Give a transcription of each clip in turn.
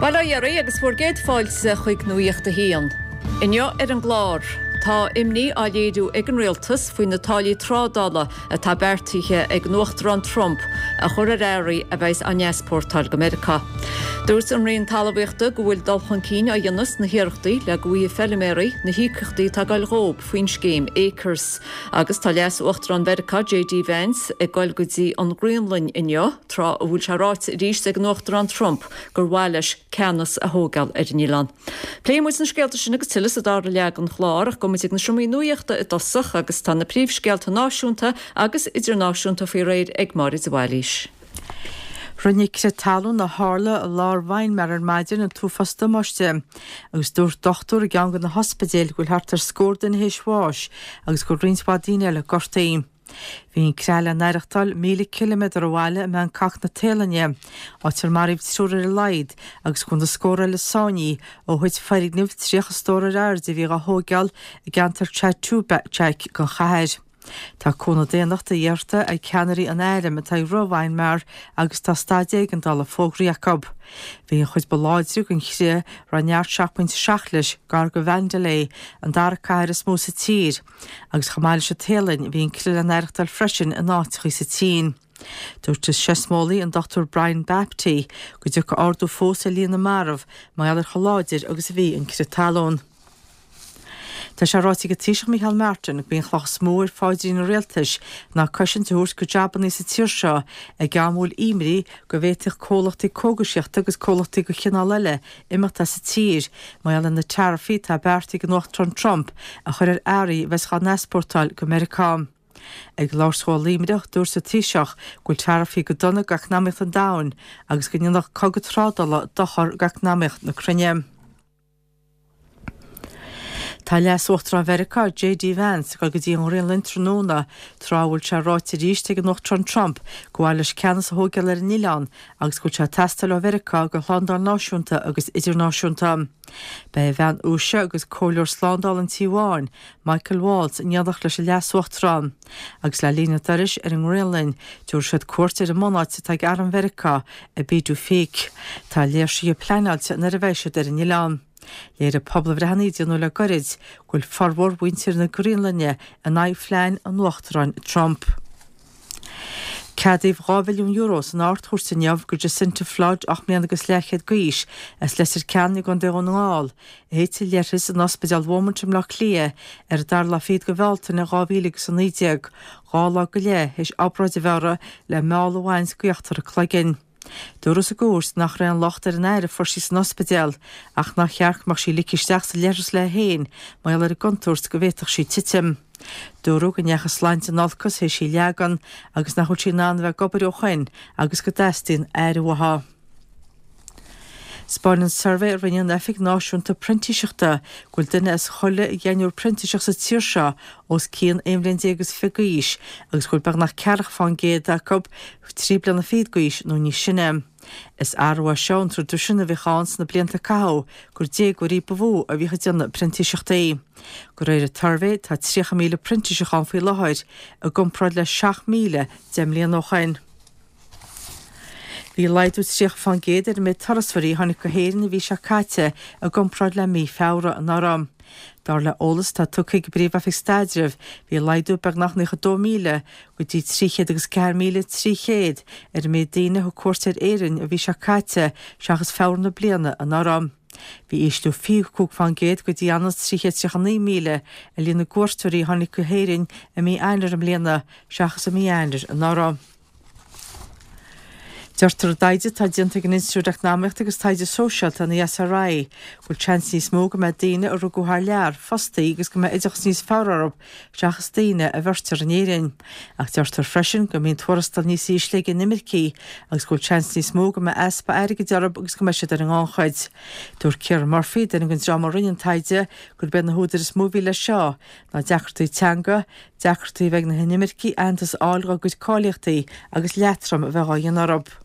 Bail ó Dhia oraibh agus bhur gcéad fáilte chuig Nuacht a hAon. Inniu ar an gclár, tá imní á léiriú ag an Rialtas faoi na táillí trádála atá beartaithe ag an Uachtarán Trump a chur ar earraí a bheas á n-easpórtáil go Meiriceá. Dúirt an Roinn Talmhaíochta go bhfuil dul chun cinn á dhéanamh sna hiarrachtaí le go bhfaighidh feilméaraí na híocaíochtaí atá ag goil dhóib faoin scéim Acres. Agus tá Leas-Uachtarán Mheiriceá JD Vance ag goil go dtí an Ghraonlainn inniu, tráth a bhfuil sé ráite arís ag an Uachtarán Trump gur mhaith leis ceannas a thógáil ar an oileán. Pléifidh muid na scéalta sin agus tuilleadh sa dara leath den chlár ach gabhfaidh muid ag na seomraí nuachta i dtosach agus tá na príomhscéalta náisiúnta agus idirnáisiúnta faoi réir ag Máire de Bhailís. Rinne crith talún a tharla i lár Mhaenmar ar maidin an t-uafás damáiste agus dúirt dochtúir i gceann de na hospidéil go bhfuil thart ar scór duine théis bháis agus go bhfuil roinnt mhaith daoine eile gortaithe. Bhí an creath le n-aireachtáil 1,000 ciliméadar ó bhaile i mBangkok na Téalainne, áit ar maraíodh triúr ar a laghad agus go bhfuil na scórtha eile sáinnithe ó thit foirgneamh 30 stór ar airde a bhí dhá thóigeáil i gceantar Chatuchak den chathair. Tá cúnamh daonnachta iarrta ag ceannairí an airm atá ag rith Mhaenmar agus tá staid éigeandála fógraithe acu. Bhí an chuid ba láidre den chrith, a raibh neart 7.7 leis, gar do Mhandalay, an dara cathair is mó sa tír. Agus chomh maith leis an Téalainn, bhí an crith le n-aireachtáil freisin in áiteachaí sa tSín. Dúirt an seismeolaí, an Dr Brian Baptie, go dtiocfaidh ardú fós ar líon na marbh mar gheall ar chomh láidir agus a bhí an crith talún. Tá sé ráite ag an Taoiseach Micheál Martin gurb í an chloch is mó ar phaidrín an rialtais ná cosaint a thabhairt go jabannaí sa tír seo ag am a bhfuil imní go bhféadfadh comhlachtaí cógaisíochta agus comhlachtaí de chineál eile imeacht as an tír mar gheall ar na taraifí atá beartaithe ag an Uachtarán Trump a chur ar earraí a bheas dhá n-easpórtáil go Meiriceá. Ag labhairt dó i Luimneach, dúirt an Taoiseach go bhfuil taraifí go dona d'eacnamaíocht an domhain agus go ndéanfadh cogadh trádála dochar d'eacnamaíocht na cruinne. Tá Leas-Uachtarán Mheiriceá, JD Vance, ag dul go dtí an Ghraonlainn tráthnóna, tráth a bhfuil sé ráite arís ag an Uachtarán Trump go mhaith leis ceannas a thóigeáil ar an oileán agus go bhfuil sé ag teastáil ó Mheiriceá do shlándáil náisiúnta agus idirnáisiúnta. Beidh a bhean Uaise agus Comhairleoir Slándála an Tí Bháin, Michael Waltz, in éineacht leis an Leas-Uachtarán. Agus le linn a dturais ar an nGraonlainn, tabharfaidh siad cuairt ar an mbunáit atá ag Arm Mheiriceá i Pituffik. Tá léirsithe pleanáilte nuair a bheidh siad ar an oileán. Léirigh pobalbhreitheanna a déanadh le goirid go bhfuil formhór mhuintir na Graonlainne in aghaidh phlean an Uachtaráin Trump. Ceadaíodh €2 mhilliún san Ard-Chúirt inniu go Jacinta Flood, 8 mbliana agus leathchéad d'aois, as Leitir Ceanainn i gContae Dhún na nGall, a thit i leithreas in Ospidéal Beaumont i mBleá Cliath ar an dara lá fichead de Bhealtaine 2019, 2 lá go leith théis obráid a bheith uirthi le meall a bhaint d'íochtar a cloiginn. Dúradh sa gcúirt nach raibh aon locht ar an aire a fuair sí san ospidéal ach nár cheart go mbeadh sí ligthe isteach sa leithreas léi féin mar gheall ar an gcontúirt go bhféadfadh sí titim. Dúradh go ndeachaigh a sláinte in olcas théis í a leagan agus nach bhfuil sí in ann a bheith ag obair ó shoin agus go dteastaíonn aire uaithi. 'Spáineann suirbhé a rinne an Oifig Náisiúnta Printíseachta go bhfuil duine as chuile dheichniúr printíseach sa tír seo os cionn 11 bhliain is fiche d'aois agus go bhfuil beagnach ceathracha fán gcéad acu trí bliana fichead d'aois nó níos sine. Is athrú é seo ón traidisiún a bhíodh ann sna blianta a caitheadh gur déagóirí ba mhó a bhíodh ag déanamh printíseachtaí. De réir an tsuirbhé tá 30,000 printíseach ann faoi láthair, i gcomparáid le 7,000 deich mbliana ó shoin. Bhí laghdú 30% ar an méid turasóirí a tháinig go hÉirinn an mhí seo caite i gcomparáid le mí Feabhra anuraidh. Dar le eolas atá tugtha ag an bPríomh-Oifig Staidrimh, bhí laghdú beagnach 92,000 go dtí 304,300 ar an méid daoine a thug cuairt ar Éirinn an mhí seo caite seachas Feabhra na bliana anuraidh. Bhí ísliú 25% go dtí ionann is 339,000 ar líon na gcuairteoirí a tháinig go hÉirinn i mí Eanáir i mbliana seachas i mí Eanáir anuraidh. Deirtear i dtaighde atá déanta ag an Institiúid Eacnamaíochta agus Taighde Sóisialta, an ESRI, go bhfuil seans níos mó go mbeidh daoine a rugadh thar lear fostaí agus go mbeidh oideachas níos fearr orthu seachas daoine a bheirtear in Éirinn. Ach deirtear freisin go mbíonn tuarastal níos ísle ag inimircigh agus go bhfuil seans níos mó go mbeidh easpa airgid orthu agus go mbeidh siad ar an ngannchuid. Dúirt Ciara Murphy, duine den dream a rinne an taighde, gurb iad na húdair is mó a bhí leis seo ná deacrachtaí teanga, deacrachtaí a bheith ag na hinimircigh aitheantas a fháil dhá gcuid cáilíochtaí agus leatrom a bheith dhá dhéanamh orthu.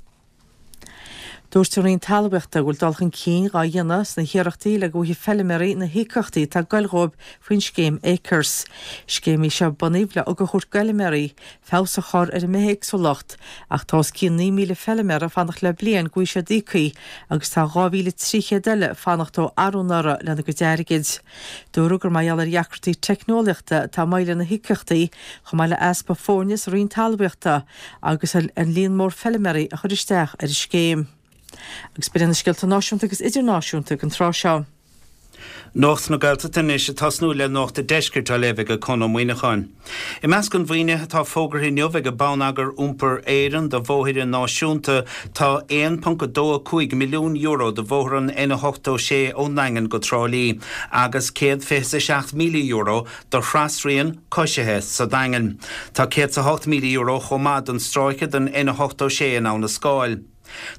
Dúirt an Roinn Talmhaíochta go bhfuil dul chun cinn dhá dhéanamh sna hiarrachtaí le go bhfaighidh feilméaraí na híocaíochtaí atá ag goil dhóibh faoin scéim Acres. Scéim í seo a bunaíodh le ugach a thabhairt d'fheilméaraí feabhas a chur ar an mbithéagsúlacht ach tá os cionn 9,000 feilméara ag fanacht le bliain go bhfaighidh siad íoctha agus tá 2,300 eile ag fanacht ó arú anuraidh lena gcuid airgid. Dúradh gur mar gheall ar dheacrachtaí teicneolaíochta atá moill ar na híocaíochtaí chomh maith le easpa foirne sa Roinn Talmhaíochta agus an líon mór feilméaraí a chuir isteach ar an scéim. Agus b'in iad na scéalta náisiúnta agus idirnáisiúnta ag an tráth seo. Nuacht na Gaeltachta anois ag tosnú le Nuacht a' Deiscirt á léamh ag Conn Ó Muíneacháin. I measc an mhaoinithe atá fógartha inniu ag Bonneagar Iompair Éireann do bhóithre náisiúnta tá €1.25 milliún do bhóthar an N86 ón nDaingean go Trá Lí agus €127,000 do thrasrian coisithe sa Daingean. Tá €108,000 chomh maith don stráice den N86 in Abha na Scáil.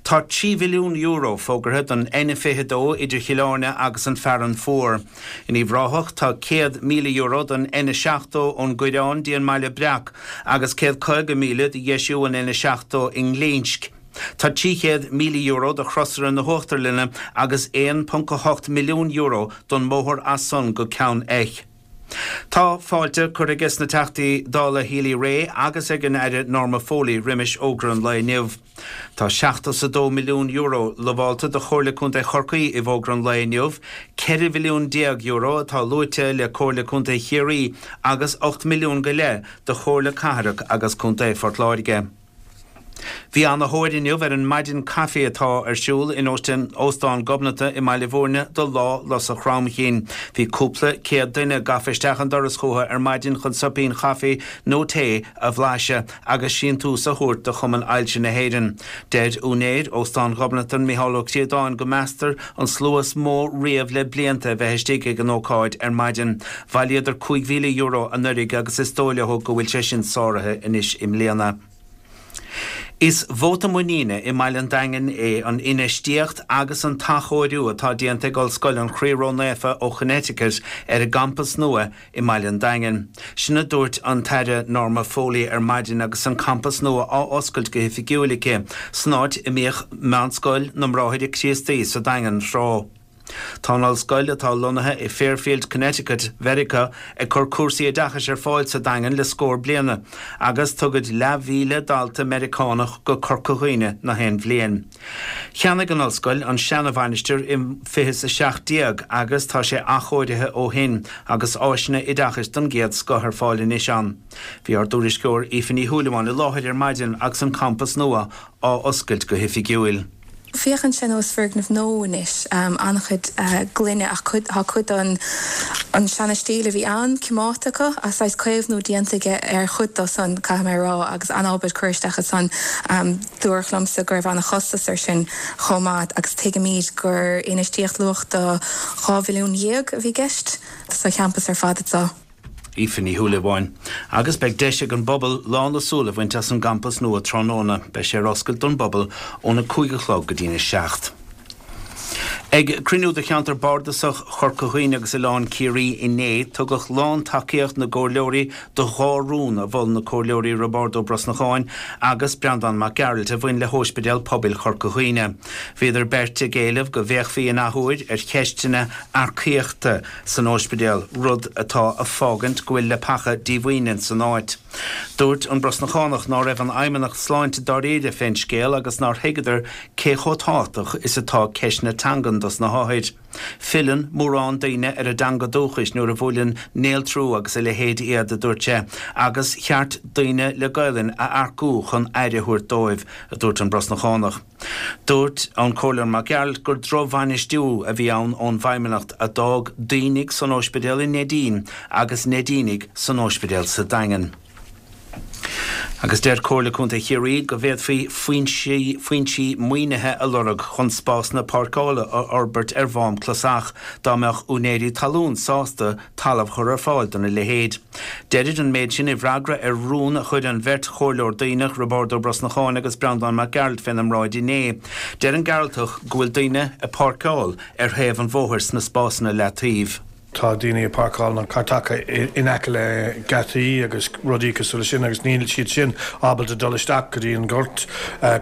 Tá €3 mhilliún fógartha don N22 idir Chill Airne agus an Fearann Fuar. In Uíbh Ráthach tá €100,000 don N70 ón gCoireán dtí an mBaile Breac agus €150,000 do dheisiú an N70 i nGlinsc. Tá €300,000 do chrosaire na hUachtarlainne agus €1.8 milliún don mbóthar as san go Ceann Eich. Tá fáilte curtha aige na Teachtaí Dála Healy-Rae agus ag an Aire Norma Foley roimis fhógra an lae inniu. Tá €72 milliún lamhálta do Chomhairle Contae Chorcaí i bhfógra an lae inniu, €14 mhilliún atá luaite le Comhairle Contae Chiarraí agus 8 milliún go leith do Chomhairle Cathrach agus Contae Phort Láirge. Bhí ana-thóir inniu ar an maidin caife atá ar siúl in Óstán Ghobnatan i mBaile Bhúirne do Lá Lus an Chromchinn. Bhí cúpla céad duine gafa isteach an doras chucu ar maidin chun soipín chaife nó tae a bhlaiseadh agus síntiús a thabhairt do Chumann Ailse na hÉireann. Deir úinéir Óstán Ghobnatan, Micheál Ó Críodáin, go meastar an slua is mó riamh le blianta a bheith istigh ag an ócáid ar maidin. Bhailíodar €5,000 anuraidh agus is dóigh leo go bhfuil sé sin sáraithe anois i mbliana. Is vóta muiníne i mbaile an Daingin é an infheistíocht agus an t-athchóiriú atá déanta ag Ollscoil an Chroí Ró-Naofa ó Chonnecticut ar a gcampas nua i mbaile an Daingin. Sin a dúirt an tAire Norma Foley ar maidin agus an campas nua á oscailt go hoifigiúil aici, san áit a mbíodh Meánscoil na mBráithre Críostaí sa Daingean tráth. Tá an ollscoil, atá lonnaithe i Fairfield, Connecticut, Mheiriceá, ag cur cúrsaí oideachais ar fáil sa Daingean le scór bliana, agus tugaid leathmhíle dalta Meiriceánach go Corca Dhuibhne na haon bhliain. Cheannaigh an ollscoil an seana-mhainistir i 2017 agus tá sé athchóirithe ó shin agus áiseanna oideachais den gcéad scoth ar fáil anois ann. Bhí ár dtuairisceoir Aoife Ní Shúilleabháin i láthair ar maidin agus an campas nua á oscailt go hoifigiúil. Féachann sé nós foirgneamh nua anois, an-chuid gloine ach cuid, tá cuid den an seana-stíl a bhí ann coimeádta acu agus saghas caomhnú déanta aige ar chuid dó san, caithfidh mé a rá, agus an-obair curtha isteach ansan. Dúradh liomsa go raibh an-chostas air sin chomh maith agus tuigimid gur infheistíocht luach do 12 mhilliún a bhí i gceist sa champas ar fad anseo. Aoife Ní Shúilleabháin. Agus beidh deis ag an bpobal lán a súl a bhaint as an gcampas nua tráthnóna. Beidh sé ar oscailt don bpobal óna 5 a chlog go dtína 7. Ag cruinniú de cheantar bardasach Chorca Dhuibhne agus Oileán Ciarraí inné, tugadh lán-tacaíocht na gcomhairleoirí do dhá rún a mhol na comhairleoirí Roibeárd Ó Brosnacháin agus Breandán Mac Gearailt a bhain le hÓispidéal Pobail Chorca Dhuibhne. Bhíodar beirt ag éileamh go bhféachfaí in athuair ar cheisteanna earcaíochta san óispidéal, rud atá a fágaint go bhfuil leapacha díomhaoine san áit. Dúirt an Brosnachánach ná raibh an Fheidhmeannacht Sláinte dáiríre fén scéal agus nár thuigeadar cé chomh tábhachtach is atá ceist na teangan dos na hothair. Filleann mórán daoine ar a dteanga dúchais nuair a bhuaileann néaltrú agus a leithéid iad, a dúirt sé, agus cheart daoine le Gaelainn a earcú chun aire a thabhairt dóibh, a dúirt an Brosnachánach. Dúirt an Comhairleoir Mac Gearailt gur drochbhainistiú a bhí ann ón bhFeidhmeannacht a d'fhág daoinigh san óispidéal i Neidín agus Neidínigh san óispidéal sa Daingean. Agus deir Comhairle Contae Chiarraí go bhféadfaí foinsí foinsí maoinithe a lorg chun spásanna páirceála a fhorbairt ar Mhám Clasach dá mbeadh úinéirí talún sásta talamh a chur ar fáil dona leithéid. Deirid an méid sin i bhfreagra ar rún a chuir an bheirt chomhairleoir Duibhneach, Roibeárd Ó Brosnacháin agus Breandán Mac Gearailt féna mbráid inné. Deir an Gearaltach go bhfuil daoine ag páirceáil ar thaobh an bhóthair sna spásanna leataoibh. Tá daoine ag páirceáil na cairteacha in aice le geataí agus rudaí cosúil leis sin agus níl siad sin ábalta dul isteach go dtí an gort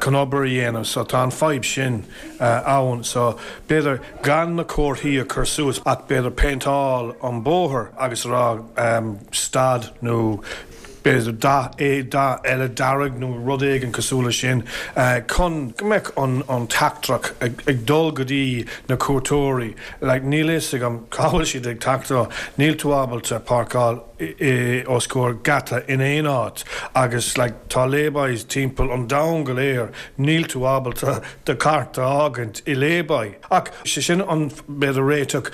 chun obair a dhéanamh so tá an fadhb sin ann so b'fhéidir gan na comharthaí a chur suas ach b'fhéidir péinteáil an bóthar agus a rá stad nó b'fhéidir dath dath eile dearg nó rud éigin cosúil leis sin chun go mbeadh an teachtaireacht ag dul go dtí na cuairteoirí. Like níl a fhios agam cá bhfuil siad ag teacht ó, níl tú ábalta páirceáil os comhair geata in aon áit agus like tá lay-bys timpeall an domhain go léir, níl tú ábalta do chairt a fhágaint i lay-by. Ach sé sin an b'fhéidir réiteach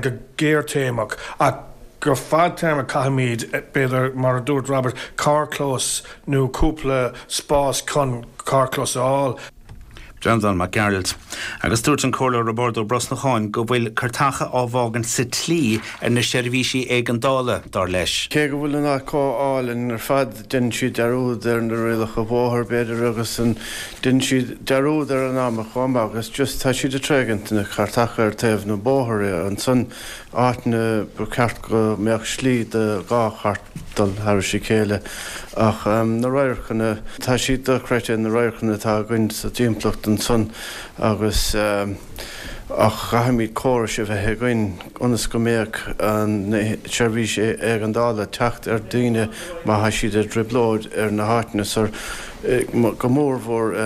go gearrthéarmach ach Go fadtéarmach caithfimid, b'fhéidir, mar a dúirt Robert, carrchlós nó cúpla spás chun carrchlós a fháil. Breandán Mac Gearailt. Agus dúirt an Comhairleoir Roibeárd Ó Brosnacháin go bhfuil cairteacha á bhfágaint sa tslí ar na seirbhísí éigeandála, dar leis. Cé go bhfuil an áit chomh álainn ar fad, deineann siad dearúd ar na rialacha bóthair, b'fhéidir, agus an, deineann siad dearúd ar an am chomh maith agus just tá siad ag tréigint na cairteacha ar taobh na bóthair ansan. áiteanna ba cheart go mbeadh slí do dhá chairt dul thairis a chéile ach na radharcanna, tá siad dochreidte na radharcanna atá againn sa dtimpeallacht ansan agus ach caithfimid córais a bheith againn ionas go mbeadh an seirbhís éigeandála teacht ar daoine má thá siad i dtrioblóid ar na háiteanna so go mór mhór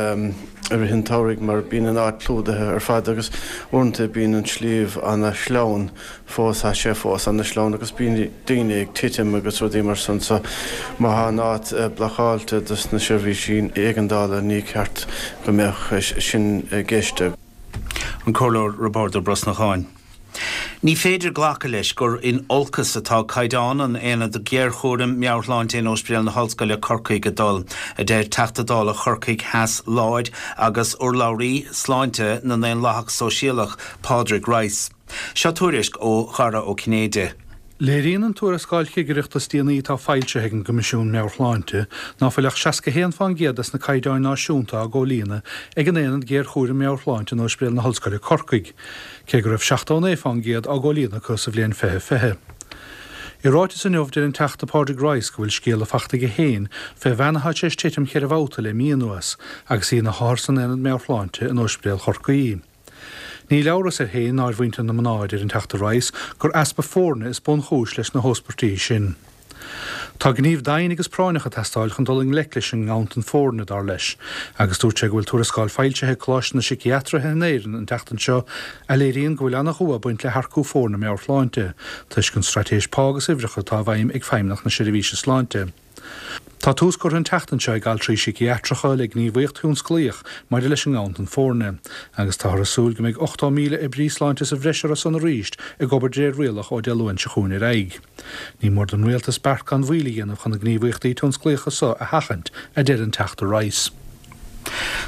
i rith an tsamhraidh mar bíonn an áit clúdaithe ar fad agus uaireanta bíonn an sliabh ana shleamhain fós, tá sé fós ana shleamhain agus bíonn daoine ag titim agus rudaí mar san so má thá an áit blocáilte dos na seirbhísí éigeandála ní ceart go mbeadh sin i gceist. An Comhairleoir Roibeárd Ó Brosnacháin. Ní féidir glacadh leis gur in olcas atá caighdeán an Aonad Géarchúraim Meabhairshláinte in Ospidéal na hOllscoile Corcaigh ag dul, a deir Teachta Dála Chorcaigh Theas Láir agus urlabhraí sláinte na nDaonlathach Sóisialach, Pádraig Rice. Seo tuairisc ó Dhara Ó Cinnéide. Léiríonn an tuarascáil chigireachta is déanaí atá foilsithe ag an gCoimisiún Meabhair-Shláinte ná fuil ach 61 fán gcéad des na caighdeáin náisiúnta á gcomhlíonadh ag an Aonad Géarchúraim Meabhair-Shláinte in Ospidéal na hOllscoile Corcaigh, cé go raibh 79 fán gcéad á gcomhlíonadh acu sa bhliain 2020. I ráiteas inniu, deir an Teachta Pádraig Rice go bhfuil scéala fachta aige féin fé bhean atá tar éis titim cheithre bhabhta le mí anuas agus í ina hothar san Aonad Meabhair-Shláinte in Ospidéal Chorcaí. Níl amhras air féin ná ar mhuintir na mná, a deir an Teachta Rice, gur easpa foirne is bunchúis leis na hóspairtí sin. Tá gníomh daingean agus práinneach ag teastáil chun dul i ngleic leis an nganntan foirne, dar leis, agus dúirt sé go bhfuil tuarascáil foilsithe ag Coláiste na Síciatraithe in Éirinn an tseachtain seo a léiríonn go bhfuil an-dhua ag baint le hearcú foirne meabhairshláinte, toisc an straitéis pá agus uimhreacha atá i bhfeidhm ag Feidhmeannacht na Seirbhíse Sláinte. Tá tús curtha an tseachtain seo ag altraí síciatracha le gníomhaíocht thionsclaíoch maidir leis an nganntan foirne, agus táthar ag súil go mbeidh 80,000 oibrí sláinte sa bhreis orthu san arís ag obair de réir rialach ó Dé Luain seo chugainn ar aghaidh. Ní mór don Rialtas beart gan mhoill a dhéanamh chun na gníomhaíochtaí tionsclaíocha so a sheachaint, a deir an Teachta Rice.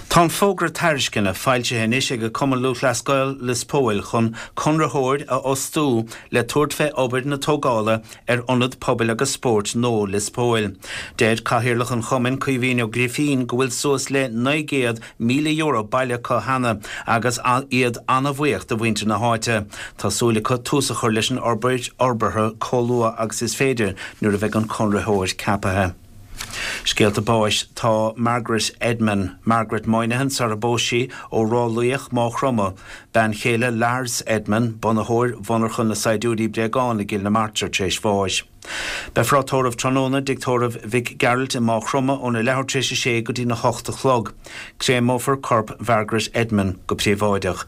Tá an fógra tairisceana foilsithe anois ag Cumann Lúthchleas Gael Lios Póil chun conraitheoir a fhostú le tabhairt fé obair na tógála ar Ionad Pobail agus Spóirt nua Lios Póil. Deir Cathaoirleach an Chumainn, Caoimhín Ó Grifín, go bhfuil suas le €900,000 bailithe acu cheana agus iad ana-bhuíoch de mhuintir na háite. Tá súil acu tús a chur leis an obair fhorbartha chomh luath agus is féidir nuair a bheidh an conraitheoir ceapaithe. Scéalta báis Tá Margaret Edman, Margaret Moynihan sar a bpós sí, ó Ráth Luíoch, Máigh Chromtha, bean chéile Lars Edman, bunaitheoir mhonarcha na saighdiúirí bréagán i gCill na Martra tar éis bháis. Beifear á tórramh tráthnóna i dtigh tórraimh Mhic Gearailt i Máigh Chromtha óna leathuair tar éis a sé go dtína hocht a chlog. Créameofar corp Mhargaret Edman go príobháideach.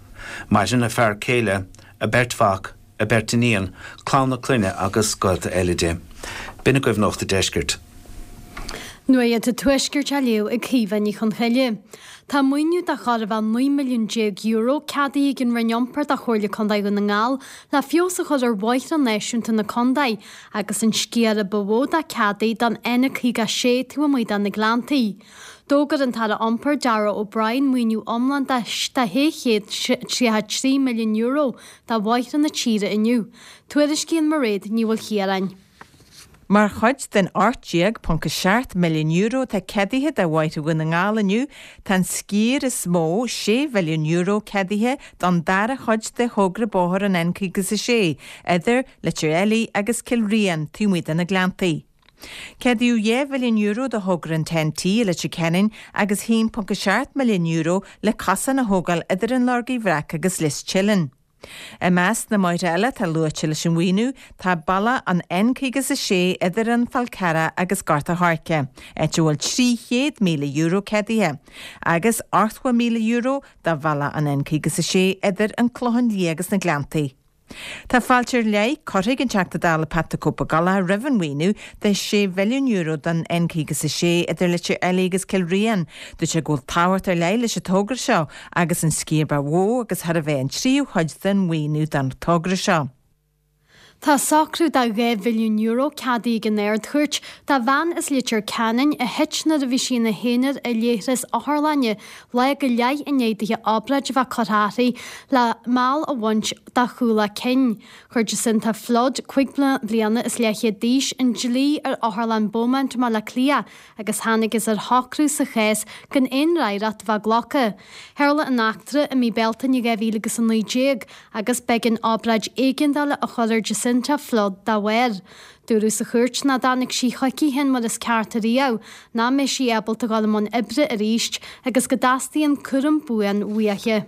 Maireann a fear céile, a beirt mhac, a beirt iníon, clann a clainne agus gaolta eile di. B'in agaibh Nuacht a' Deiscirt. Nuacht an Tuaiscirt á léamh ag Caoimhe Ní Chonchoille. Tá maoiniú de chóir a bheith €19 milliún ceadaithe ag an Roinn Iompair do Chomhairle Contae Dhún na nGall le feabhas a chur ar bhóithre náisiúnta na contae agus an sciar a ba mhó dá ceadaithe don N56 taobh amuigh de na Gleanntaí. D'fhógair an tAire Iompair Darragh O'Brien maoiniú iomlán de €633 milliún do bhóithre na tíre inniu. Tuairiscíonn Mairéad Ní Mhaoilchiaráin. Mar chuid den €18.7 milliún atá ceadaithe do Bhóithre Dhún na nGall inniu, tá an sciar is mó, €6 mhilliún, ceadaithe don dara chuid de thogra bóthair an N56 idir Leitir Fheilí agus Cill Riain taobh amuigh de na Gleanntaí. Ceadaíodh €2 mhilliún do thogra an TEN-T i Leitir Ceanainn agus €1.7 milliún le cosán a thógáil idir an Lorgaigh Bhreac agus Lios Teileann. I measc na mbóithre eile atá luaite leis an mhaoiniú tá bealach an N56 idir an Fál Carrach agus Gort a' Choirce, áit a bhfuil €300,000 ceadaithe, agus €80,000 do bhealach an N56 idir an Clochán Liath agus na Gleanntaí. Tá fáilte ar leith curtha ag an Teachta Dála Pat the Cope Ó Gallchóir roimh an mhaoiniú de €6 mhilliún don N56 idir Leitir Fheilí agus Cill Riain. Dúirt sé go bhfuil tábhacht ar leith leis an togra seo agus an sciar ba mhó agus chóir a bheith an tríú chuid den mhaoiniú don togra seo. Tá socrú de €2 mhilliún ceadaithe ag an Ard-Chúirt do bhean as Leitir Ceanainn a thit nuair a bhí sí ina haonar i leithreas otharlainne lá go leith i ndiaidh dithe obráid a bheith curtha uirthi le meall a bhaint dá chúl a cinn. Chuir Jacinta Flood, 5 bliana is leathchéad d'aois, an dlí ar Otharlann Beaumont i mBaile Átha Cliath agus thángthas ar shocrú sa chás gan aon fhreagracht a bheith glactha. Tharla an eachtra i mí Bealtaine 2019 agus b'éigean obráid éigeandála a chur ar Jacinta Flood dá bharr. Dúradh sa chúirt nach dtáinig sí chuici féin mar is ceart ariamh, nach mbeidh sí ábalta dul i mbun oibre arís agus go dteastaíonn cúram buan uaithi.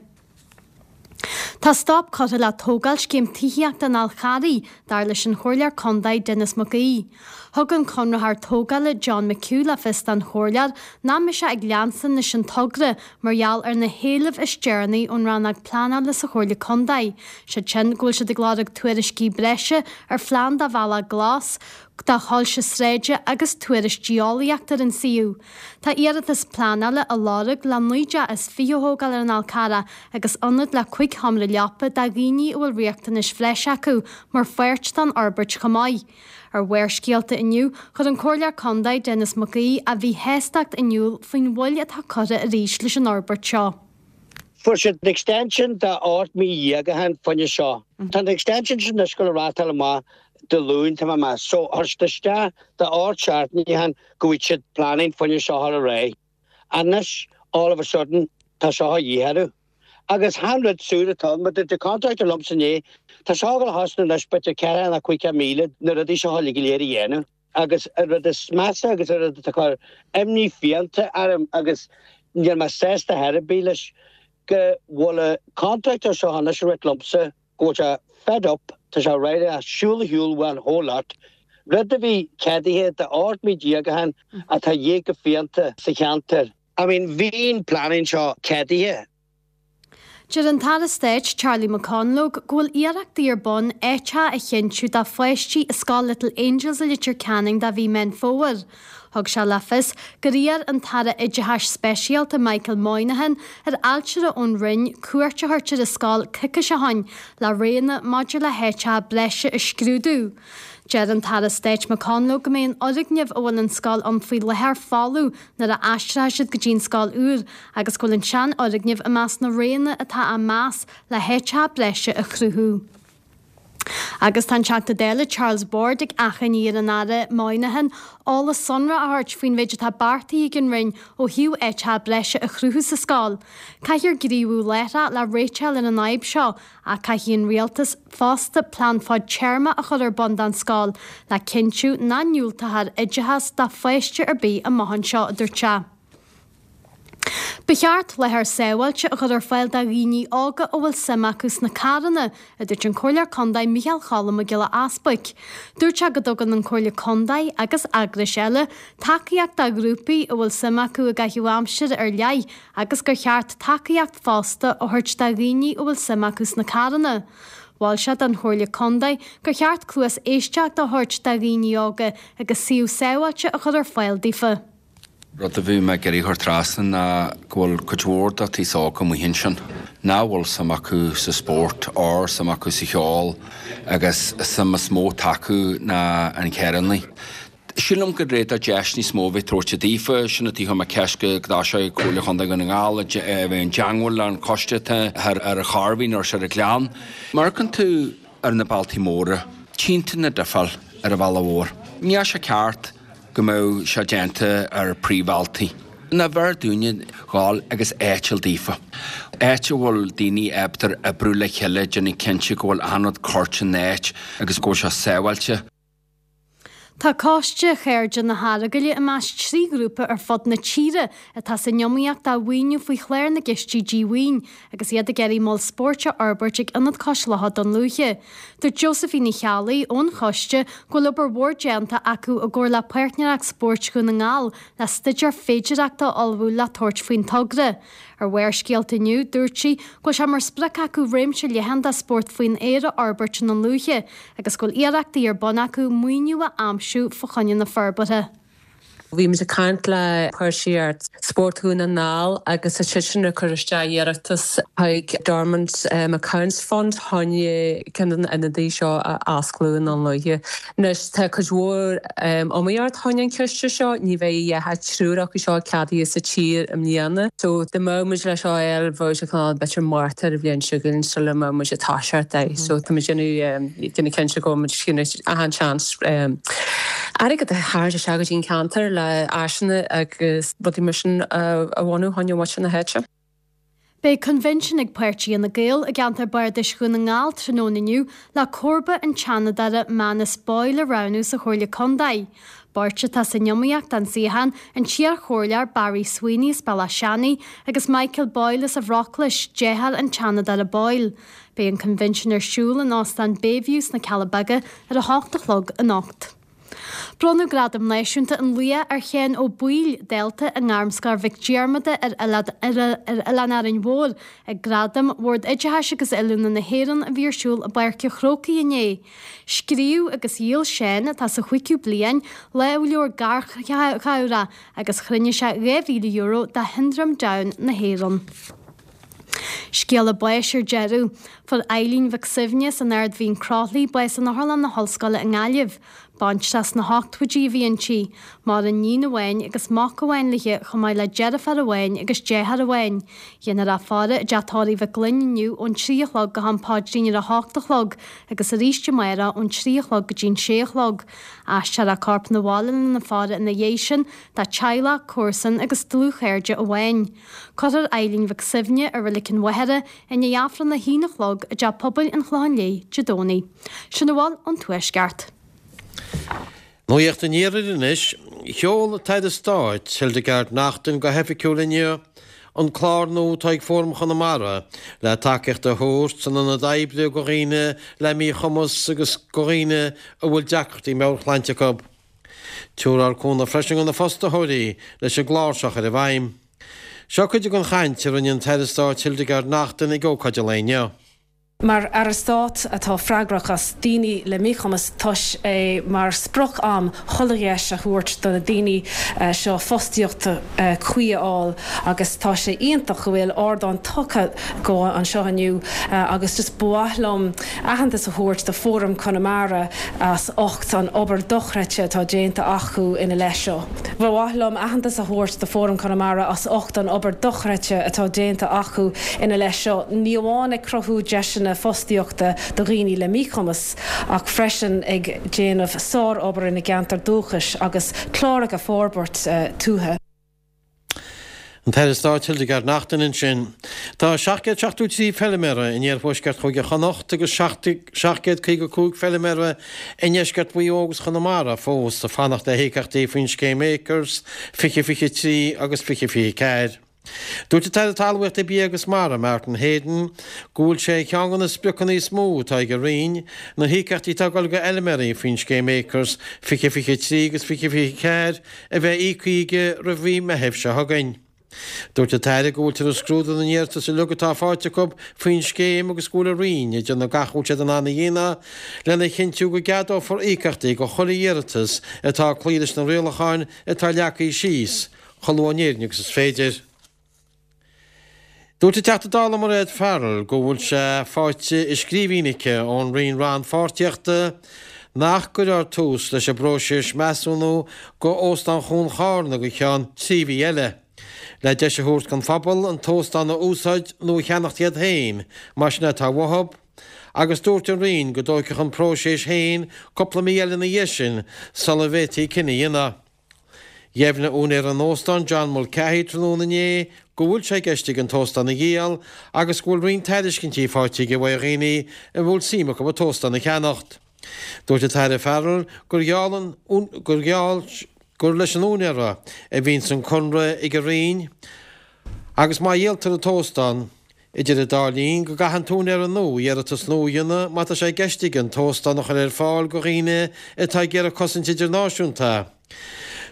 Tá stop curtha le tógáil scéim tithíochta an Fháil Charraigh, dar leis an Chomhairleoir Contae Denis Mac Aoidh. Thug an conraitheoir tógála John McHugh le fios don Chomhairleoir nach mbeidh sé ag leanstan leis an togra mar gheall ar na héilimh is deireanaí ón Rannóg Pleanála sa Chomhairle Contae, siad sin go bhfuil siad ag lorg tuairiscí breise ar phlean do bhealach glas, do shoilse sráide agus tuairisc geolaíochta ar an suíomh. Tá iarratas pleanála á lorg le 19 dteach a thógáil ar an Fhál Carrach agus ionad le 5 sheomra leapa do dhaoine a bhfuil riachtanais bhreise acu mar pháirt den fhorbairt chomh maith. Ar Bharrscéalta inniu, chuir an Comhairleoir Contae Denis Mac Aoidh a mhíshástacht in iúl faoin mhoill atá curtha arís leis an fhorbairt seo. Fuair siad extension de 18 mí ó shin fá choinne seo. Tá an extension sin anois ag gabháil a rátáil amach Dé Luain, tá mé ag meas. So, chuir siad isteach de 8 seachtainí ó shin go bhfaighidh siad planning fá choinne seo a chur ar aghaidh. Anois, all of a sudden, tá seo a dhíth orthu. Agus chan rud súr atá ann, mar dúirt an contractor liomsa inné, tá seo ag gabháil a thosnú anois b'fhéidir 4 nó 5,000 na rudaí seo uilig go léir a dhéanamh. Agus an rud is measa agus an rud atá ag cur imní fiánta orm agus níl mé sásta ar chor ar bith leis, go bhfuil an contractor seo anois ag ráit liomsa go bhfuil sé fed up, tá sé réidh le siúl ar shiúl uaidh an whole lot, rud a bhí ceadaithe de 18 mí ó shin atá a dhíth go fiánta sa cheantar. I mean bhí an planning seo ceadaithe. Deir an tAire Stáit Charlie McConalogue go bhfuil iarrachtaí ar bun áiteacha a chinntiú do pháistí i Scoil Little Angels i Leitir Ceanainn do mhí Meán Fómhair. Thug sé le fios gur iarr an tAire Oideachais Speisialta Michael Moynihan ar ailtire ón Roinn cuairt a thabhairt ar an scoil coicís ó shin le roghanna maidir le háiteacha breise a scrúdú. Deir an tAire Stáit McConalogue go mbeidh an fhoirgneamh a bhfuil an scoil ann faoi láthair folamh nuair a aistreoidh siad go dtí an scoil úr agus go bhfuil an seanfhoirgneamh i measc na roghanna atá á meas le háiteacha breise a chruthú. Agus tá an Teachta Dála Charles Ward ag achainí ar an Aire Moynihan eolas sonrach a thabhairt faoin mhéid atá beartaithe ag an Roinn ó thaobh áiteacha breise a chruthú sa scoil. Caithfear gníomhú láithreach le réiteach ar an fhadhb seo Ach caithfidh an rialtas fosta plean fadtéarmach a chur ar bun don scoil le cinntiú nach ndiúltófar oideachas do pháiste ar bith amach anseo, a dúirt sé. Ba cheart láthair sábháilte a chur ar fáil do dhaoine óga a bhfuil suim acu sna carranna, a dúirt an Comhairleoir Contae Micheál Cholm Mac Giolla Easbuic. Dúirt sé go dtugann an Comhairle Contae agus eagrais eile tacaíocht do ghrúpaí a bhfuil suim acu i gcaitheamh aimsire ar leith agus gur cheart tacaíocht fosta a thabhairt do dhaoine a bhfuil suim acu sna carranna. Mhol sé don Chomhairle Contae gur cheart cluas éisteachta a thabhairt do dhaoine óga agus suíomh sábháilte a chur ar fáil daofa. Rud a bhí mé ag iarraidh a chur trasna ná go bhfuil cuid mhór den t-aos óg amuigh ansin nach bhfuil suim acu sa spórt or suim acu sa cheol agus an suim is mó atá acu ná an carrannaí. Sílim gur réadach deis níos mó a bheith tabhairte daofa. Sin an tuige a chuir mé ceist go dtosóidh Comhairle Chontae Dhún na nGall a bheith i dteangmháil le an coiste atá ar an Chairbhín nó ar an Ghleann. Má amharcann tú ar na bealtaí móra, tchíonn tú na difeáil ar an bhealach mhór. Níl sé ceart go mbeadh sé déanta ar príomhbhealtaí. Ná b'fhearr dúinne dhul agus áit a fháil daofa. Áit a bhfuil daoine ábalta oibriú le chéile, déanamh cinnte go bhfuil achan rud curtha in áit agus go bhfuil sé sábháilte. Tá Coiste Chairde na hEaragaile i measc 3 ghrúpa ar fud na tíre atá san iomaíocht do mhaoiniú faoi chlár na gCistí Díomhaoin agus iad ag iarraidh mol spóirt a fhorbairt ag Ionad Cois Locha Dún Lúiche. Dúirt Josephine Uí Cheallaigh ón choiste go bhfuil obair mhór déanta acu i gcomhar le Páirtnéireacht Spóirt Dhún na nGall le staidéar féidireachta a ullmhú le tabhairt faoin togra. Ar Bharrscéalta inniu, dúirt sí go bhfuil sé mar sprioc acu réimse leathan de spórt faoin aer a fhorbairt i nDún Lúiche agus go bhfuil iarrachtaí ar bun acu maoiniú a aimsiú fá choinne na forbartha. Bhí muid ag caint le Páirtnéireacht Spóirt Dhún na nGall agus tá siadsan ag cur isteach iarratas chuig Dormant Accounts Fund chun ceann de na ionadaí seo a osclú i nDún Lúiche. Anois tá cuid mhór iomaíocht chun an chiste seo, ní bheidh ach triúr acu seo ceadaithe sa tír i mbliana. So dá mbeadh muid leis seo a fháil bheadh sé cineál b'fhéidir Márta ar an bhliain seo chugainn sula mbeadh muid ag toiseacht é. So tá muid ag déanamh cinnte go bhfuil muid achan seans airgead a tharraingt isteach go dtí an ceantar le áiseanna agus rudaí mar sin a bhunú chun muintir na háite. Beidh coinbhinsiún ag Páirtí Fhine Gael i gceantar Bardais Dhún na nGall tráthnóna inniu le comharba an tSeanadóra Manus Boyle a roghnú sa Chomhairle Contae. Beirt atá san iomaíocht don suíochán, an t-iarchomhairleoir Barry Sweeney as Bealach Seanaidh agus Michael Boyle as an Bhróclais, deartháir an tSeanadóra Boyle. Beidh an coinbhinsiún ar siúl in Óstán Bayview sna Cealla Beaga ar a hocht a chlog anocht. Bronnadh Gradam Náisiúnta an Laoich ar Sheán Ó Baoill, dalta i nGairmscoil Mhic Diarmada ar Oileán Árainn Mhór, ag Gradaim Bhord Oideachais agus Oiliúna na hÉireann a bhí ar siúl i bPáirc an Chrócaigh inné. Scríobh agus dhíol Seán, atá sa chúigiú bliain, lámhleabhar garchabhrach agus chruinnigh sé €2,000 do Shiondróm Down na hÉireann. Scéala báis ar deireadh. Fuair Eileen Mhic Suibhne as an Ard Mhín Croithlí bás in Otharlann na hOllscoile i nGaillimh. Baintreach sna hochtóidí a bhí inti. Maireann iníon amháin agus mac amháin léi chomh maith le deirfiúr amháin agus deartháir amháin. Dhéanfar a faire i dteach tórraimh Mhic Gloinn inniu ón 3 a chlog go ham paidrín ar a hocht a chlog agus arís amárach ón 3 a chlog go dtí'n 6 a chlog. Aistreofar a corp 'na bhaile lena faire ina dhiaidh sin dá teaghlach, comharsain agus dlúthchairde amháin. Cuirfear Eileen Mhic Suibhne i Reilig an Mhachaire i ndiaidh Aifreann a haon a chlog i dTeach Pobail an Chlocháin Léith Dé Domhnaigh. Sin a bhfuil ón Tuaisceart. Nuacht an Iarthair anois. Sheol an tAire Stáit, Hildegarde Naughton go hoifigiúil inniu an clár nua atá ag Fóram Chonamara le tacaíocht a thabhairt san ionad oibre go dhaoine le míchumas agus go dhaoine a bhfuil deacrachtaí meabhairshláinte acu. Tabharfar cúnamh freisin do na fostaitheoirí leis an gclár seo a chur i bhfeidhm. Seo cuid den chaint a rinne an tAire Stáit Hildegarde Naughton ag ócáid an lae inniu. Mar Aire Stáit atá freagrach as daoine le míchumas, tá sé mar sprioc a'm chuile dheis a thabhairt do na daoine seo fostaíocht cuí a fháil agus tá sé iontach go bhfuil ardán tugtha dóibh anseo inniu agus just ba mhaith liom aitheantas a thabhairt do Fóram Conamara as ucht an obair dochreidte atá déanta acu ina leith seo. Ba mhaith liom aitheantas a thabhairt do Fóram Conamara as ucht an obair dochreidte atá déanta acu ina leith seo, ní amháin ag cruthú deiseanna fostaíochta do dhaoine le míchumas ach freisin ag déanamh sár-obair ina gceantar dúchais agus cláracha a forbairt tuaithe. An tAire Stáit Hildegarde Naughton ansin. Tá 773 feilméara in iarthuaisceart Chúige Chonnacht agus 755 feilméara i ndeisceart Mhaigh Eo agus Chonamara fós ag fanacht le híocaíochtaí faoin scéim Acres 2023 agus 2024. Dúirt an tAire Talmhaíochta, Bia agus Mara, Martin Heydon, go bhfuil sé ar cheann de na spriocanna is mó atá ag a Roinn, na híocaíochtaí atá ag dul go fheilméaraí faoin scéim Acres 2023 agus 2024 a bheith íoctha aige roimh mhí Meithimh seo chugainn. Dúirt an tAire go bhfuiltear ag scrúdú na n-iarratas uilig atá faighte acu faoin scéim agus go bhfuil a Roinn ag déanamh gach a bhfuil siad in ann a dhéanamh lena chinntiú go gceadófar íocaíochtaí do chuile iarratas atá ag cloí leis na rialacháin atá leagtha síos chomh luath in Éirinn agus is féidir. Dúirt an Teachta Dála Mairéad Farrell go bhfuil sé faighte i scríbhinn aici ón Roinn Rannpháirtíochta nach gcuirfear tús leis an bpróiseas measúnú go Óstán Chuan Charna go ceann 3 mhí eile, le deis a thabhairt don phobal an t-óstán a úsáid nó a cheannacht iad féin, más sin atá uathu. Agus dúirt an Roinn go dtóigfeadh an próiseas féin cúpla mí eile ina dhiaidh sin sula bhféadfaí cinneadh a dhéanamh. Dheimhnigh úinéir an óstáin, John Mulcahy, tráthnóna inné go bhfuil sé i gceist aige an t-óstán a dhíol agus go bhfuil roinnt tairiscintí faighte aige uaidh dhaoine a bhfuil suim acu an t-óstán a cheannacht. Dúirt an tAire Farrell gur gheall an gur gheall gur leis an úinéir a bhíonns an conradh ag an Roinn agus má dhíoltar an t-óstán, Idir an dá linn, go gcaithfidh an t-úinéara nua iarratas nua a dhéanamh má tá sé i gceist aige an t-óstán a chur ar fáil go dhaoine atá ag iarraidh cosaint idirnáisiúnta.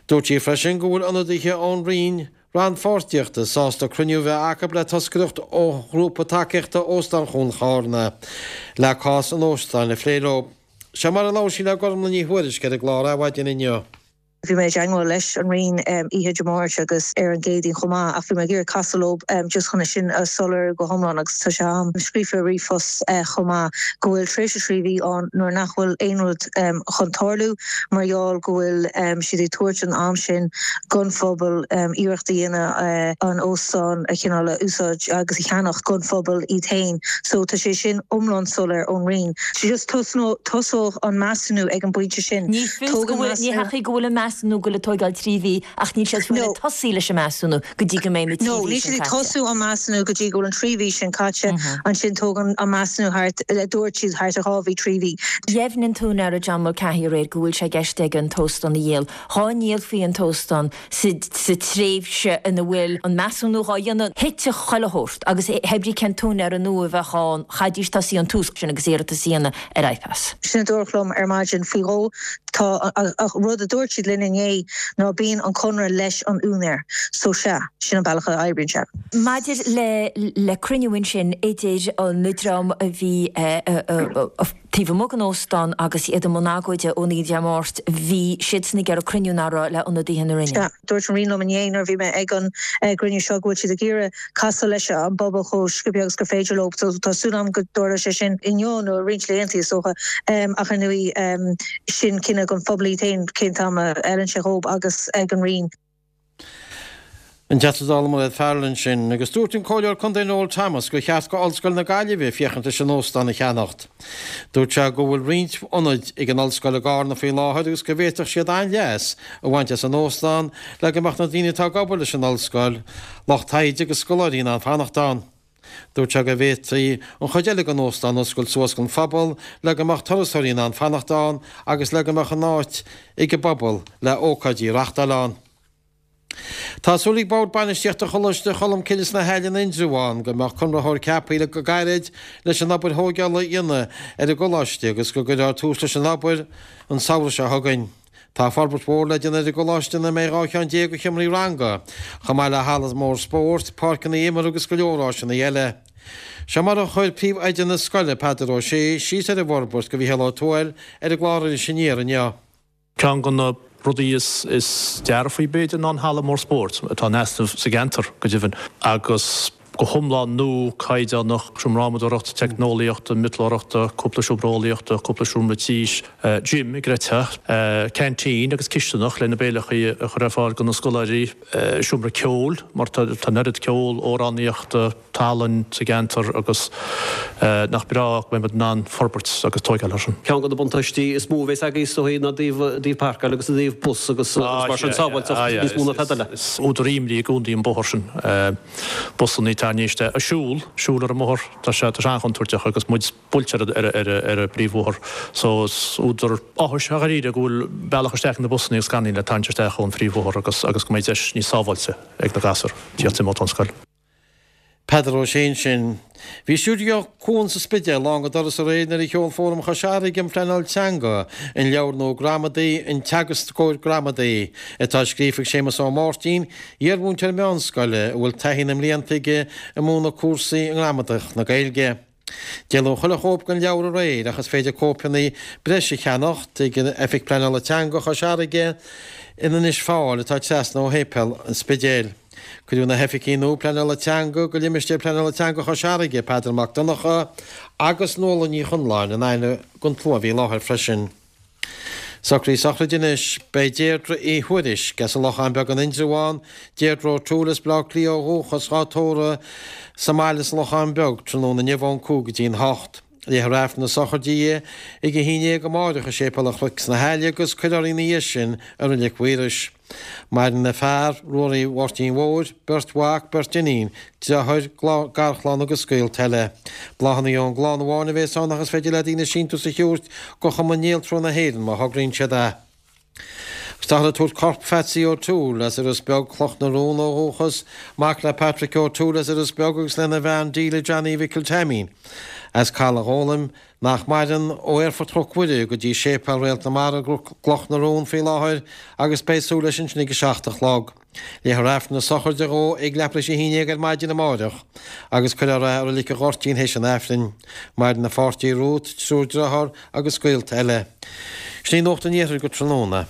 Dúirt sí freisin go bhfuil ionadaithe ón Roinn Rannpháirtíochta sásta cruinniú a bheith acu le toscaireacht ó Ghrúpa Tacaíochta Óstán Chuan Charna le cás an óstáin a phlé leo. Seo mar a labhair sí le Gormlaith Ní Thuairisg ar an gclár Adhmhaidin inniu. Bhí mé i dteangmháil leis an Roinn oíche Dé Máirt agus ar an gCéadaoin chomh maith ach bhí mé ag iarraidh casadh leo just chun é sin a soiléiriú go hiomlán agus tá sé a'm scríofa i ríomhphost chomh maith go bhfuil tréimhse 3 mhí ann nuair nach bhfuil aon rud chun tarlú mar gheall go bhfuil siad ag tabhairt an am sin gon phobal iarracht a dhéanamh an óstán a chineál a úsáid agus a cheannach gon phobal iad féin. So tá sé sin iomlán soiléir ón Roinn. Just tosóidh an measúnú ag an bpointe sin. Ní fios go bhfuil, ní heachaí go bhfuil an measúnú ag goil ag tóigeáil 3 mhí ach níl siad ag tosaí leis an measúnú go dtí go mbeidh na 3 No, mhí níl sin siad ag caite. tosú an measúnú go dtí go bhfuil an 3 mhí sin caite, ansin tógann an measúnú thart, dúirt siad, thart ar 2 mhí, 3 mhí. Dheimhnigh an t-úinéara John Mulcahy aréir go bhfuil sé i gceist aige an t-óstán a dhíol. Dhá ndíolfaí an t-óstán sa tréimhse ina bhfuil an measúnú dhá dhéanamh, thitfeadh chuile shórt agus hé brí cén t-úinéara nua a bheadh ann, chaithfidís tosaí ón tús sin agus iarratas a dhéanamh ar IPAS. Sin a dúradh liom ar maidin faoi dhó. Tá, ach rud a dúirt siad linn inné ná bíonn an conradh leis an úinéir. So sea, sin an bealach a oibríonn sé. Maidir le le cruinniú ansin idir an dream a bhí taobh amuigh den óstán agus iad i mbun agóide ón oíche Dé Máirt, bhí siadsan ag iarraidh cruinniú nach raibh le ionadaithe na Roinne. Sea, dúirt an Roinn liom inné nuair a bhí mé ag an gcruinniú seo go bhfuil siad ag iarraidh casadh leis an bpobal chomh sciobtha agus gur féidir leo. So tá súil agam go dtarlóidh sé sin inniu nó i roinnt laethanta is dócha. Ach ar ndóigh, sin cinneadh don phobal iad féin cén t-am a fheileann sé dhóibh agus ag an Roinn. An Teachta Dála Mairéad Farrell ansin, agus dúirt an Comhairleoir Contae Noel Thomas gur cheart go Ollscoil na Gaillimhe féachaint leis an óstán a cheannacht. Dúirt sé go bhfuil roinnt ionaid ag an Ollscoil i gCarna faoi láthair agus go bhféadfadh siad an-leas a bhaint as an óstán le go mbeadh na daoine atá ag obair leis an Ollscoil, lucht taighde agus scoláirí in ann fanacht ann. Dúirt sé go bhféadfaí an chuid eile den óstán a oscailt suas don phobal le go mbeadh turasóirí in ann fanacht ann agus le go mbeadh an áit ag an bpobal le ócáidí a reachtáil ann. Tá súil ag Bord Bainistíochta Choláiste Cholmcille sna hAille in Indreabhán go mbeadh conraitheoir ceaptha le go gairid leis an obair thóigeála a dhéanamh ar an gcoláiste agus go gcuirfear tús leis an obair an samhradh seo chugainn. Tá forbairt mhór le déanamh ar an gcoláiste ina mbeidh 12 cheann de sheomraí ranga, chomh maith le halla mór spóirt, páirceanna imeartha agus go leor áiseanna eile. Seo mar a chuir príomhoide na scoile, Peadar Ó Sé, síos ar an bhforbairt do Mhícheál Ó Tuathail ar an gclár Iris Aniar inniu. Ceann de na rudaí is dearfaí b'fhéidir ná an halla mór spóirt atá in easnamh sa gceantar go deimhin agus go hiomlán nua, caighdeánach, seomra adhmadóireachta, teicneolaíochta, miotalóireachta, cúpla seomra eolaíochta, cúpla seomra tís, gym, gcreidfeá, ceaintín agus cisteanach le na béileachaí a chur ar fáil do na scoláirí, seomra ceoil mar tá an oiread ceol, amhránaíochta, tallann sa gceantar agus nach breá go mbeidh muid in ann forbairt agus tóigeáil air sin. Ceann de na buntáistí is mó a bheas agaibh is dóigh ná i dtaobh páirceáil agus i dtaobh bus agus mar sin sábháilteacht níos mó ná tada eile. Is údar imní i gcónaí an bóthar sin. Busanna ag tarraingt isteach ag siúl, siúl ar an mbóthar, tá sé tá sé an-chontúirteach agus muid buailte ar ar an bpríomhbhóthar. So is údar áthais dháiríre go bhfuil bealach isteach ag na busanna agus gan le tarraingt isteach ón phríomhbhóthar agus agus go mbeidh deis níos sábháilte ag na gasúir tíocht imeacht ón scoil. Peadar Ó Sé ansin. Bhí Stiúideo Cuan sa Spidéal lán go doras aréir nuair a sheol Fóram Chois Fharraige um Phleanáil Teanga an leabhar nua gramadaí, An Teagascóir Gramadaí, atá scríofa ag Séamus Ó Máirtín, iarmhúinteoir meánscoile a bhfuil taithí na mblianta aige ag múineadh cúrsaí i ngramadach na Gaeilge. Díoladh chuile chóip den leabhar aréir ach is féidir cóipeanna breise a cheannacht ag Oifig Pleanála Teanga Chois Fharraige in Inis Fáil atá trasna ó Shéipéal an Spidéil. Cuireadh na hoifigigh nua pleanála teanga go Limistéar Pleanála Teanga Chois Fharraige, Peadar Mac Donncha agus Nuala Ní Chonláin in aithne don tslua a bhí i láthair freisin. Socruithe sochraide anois. Beidh Deirdre Uí Thuairisg as an Lochán Beag in Indreabhán, Deirdre O'Toole as Baile Átha Cliath ó dhúchas, dhá tórramh sa mbaile sa Lochán Beag tráthnóna inniu ón 5 go dtí an 8. Léifear Aifreann na sochraide di ag a 11 amáireach i Séipéal an Chnoic sna hAille agus cuirfear í ina dhiaidh sin i Reilig Mhaorais. Maireann a fear, Ruairí Mháirtín Mhóir, beirt mhac, beirt iníon, deartháir, garchlann agus gaolta eile. Bláthanna ón gclann amháin a bhéas ann ach is féidir le daoine síntiús a thabhairt go Chumann Néaltrú na hÉireann má thograíonn siad é. Agus táthar ag tabhairt corp Phatsy O'Toole as Iorras Beag, Cloch na Rón ó dhúchas, mac le Patrick O'Toole as Iorras Beag agus lena bhean Delia Johnny Mhicil Taimín as Caladh Ghólaim, nach maireann, ó Aerfort Chnoc Mhuire go dtí Séipéal Réalt na Mara i gCloch na Rón faoi láthair agus beidh súil leis ansin ag 7 a chlog. Léifear Aifreann na sochraide dhó ag leathuair tar éis a 11 ar maidin amáireach agus cuirfear é i Reilig an Ghoirtín théis an Aifrinn. Maireann a pháirtí Ruth, triúr driotháir agus gaolta eile. Sin í Nuacht an Iarthair go tráthnóna.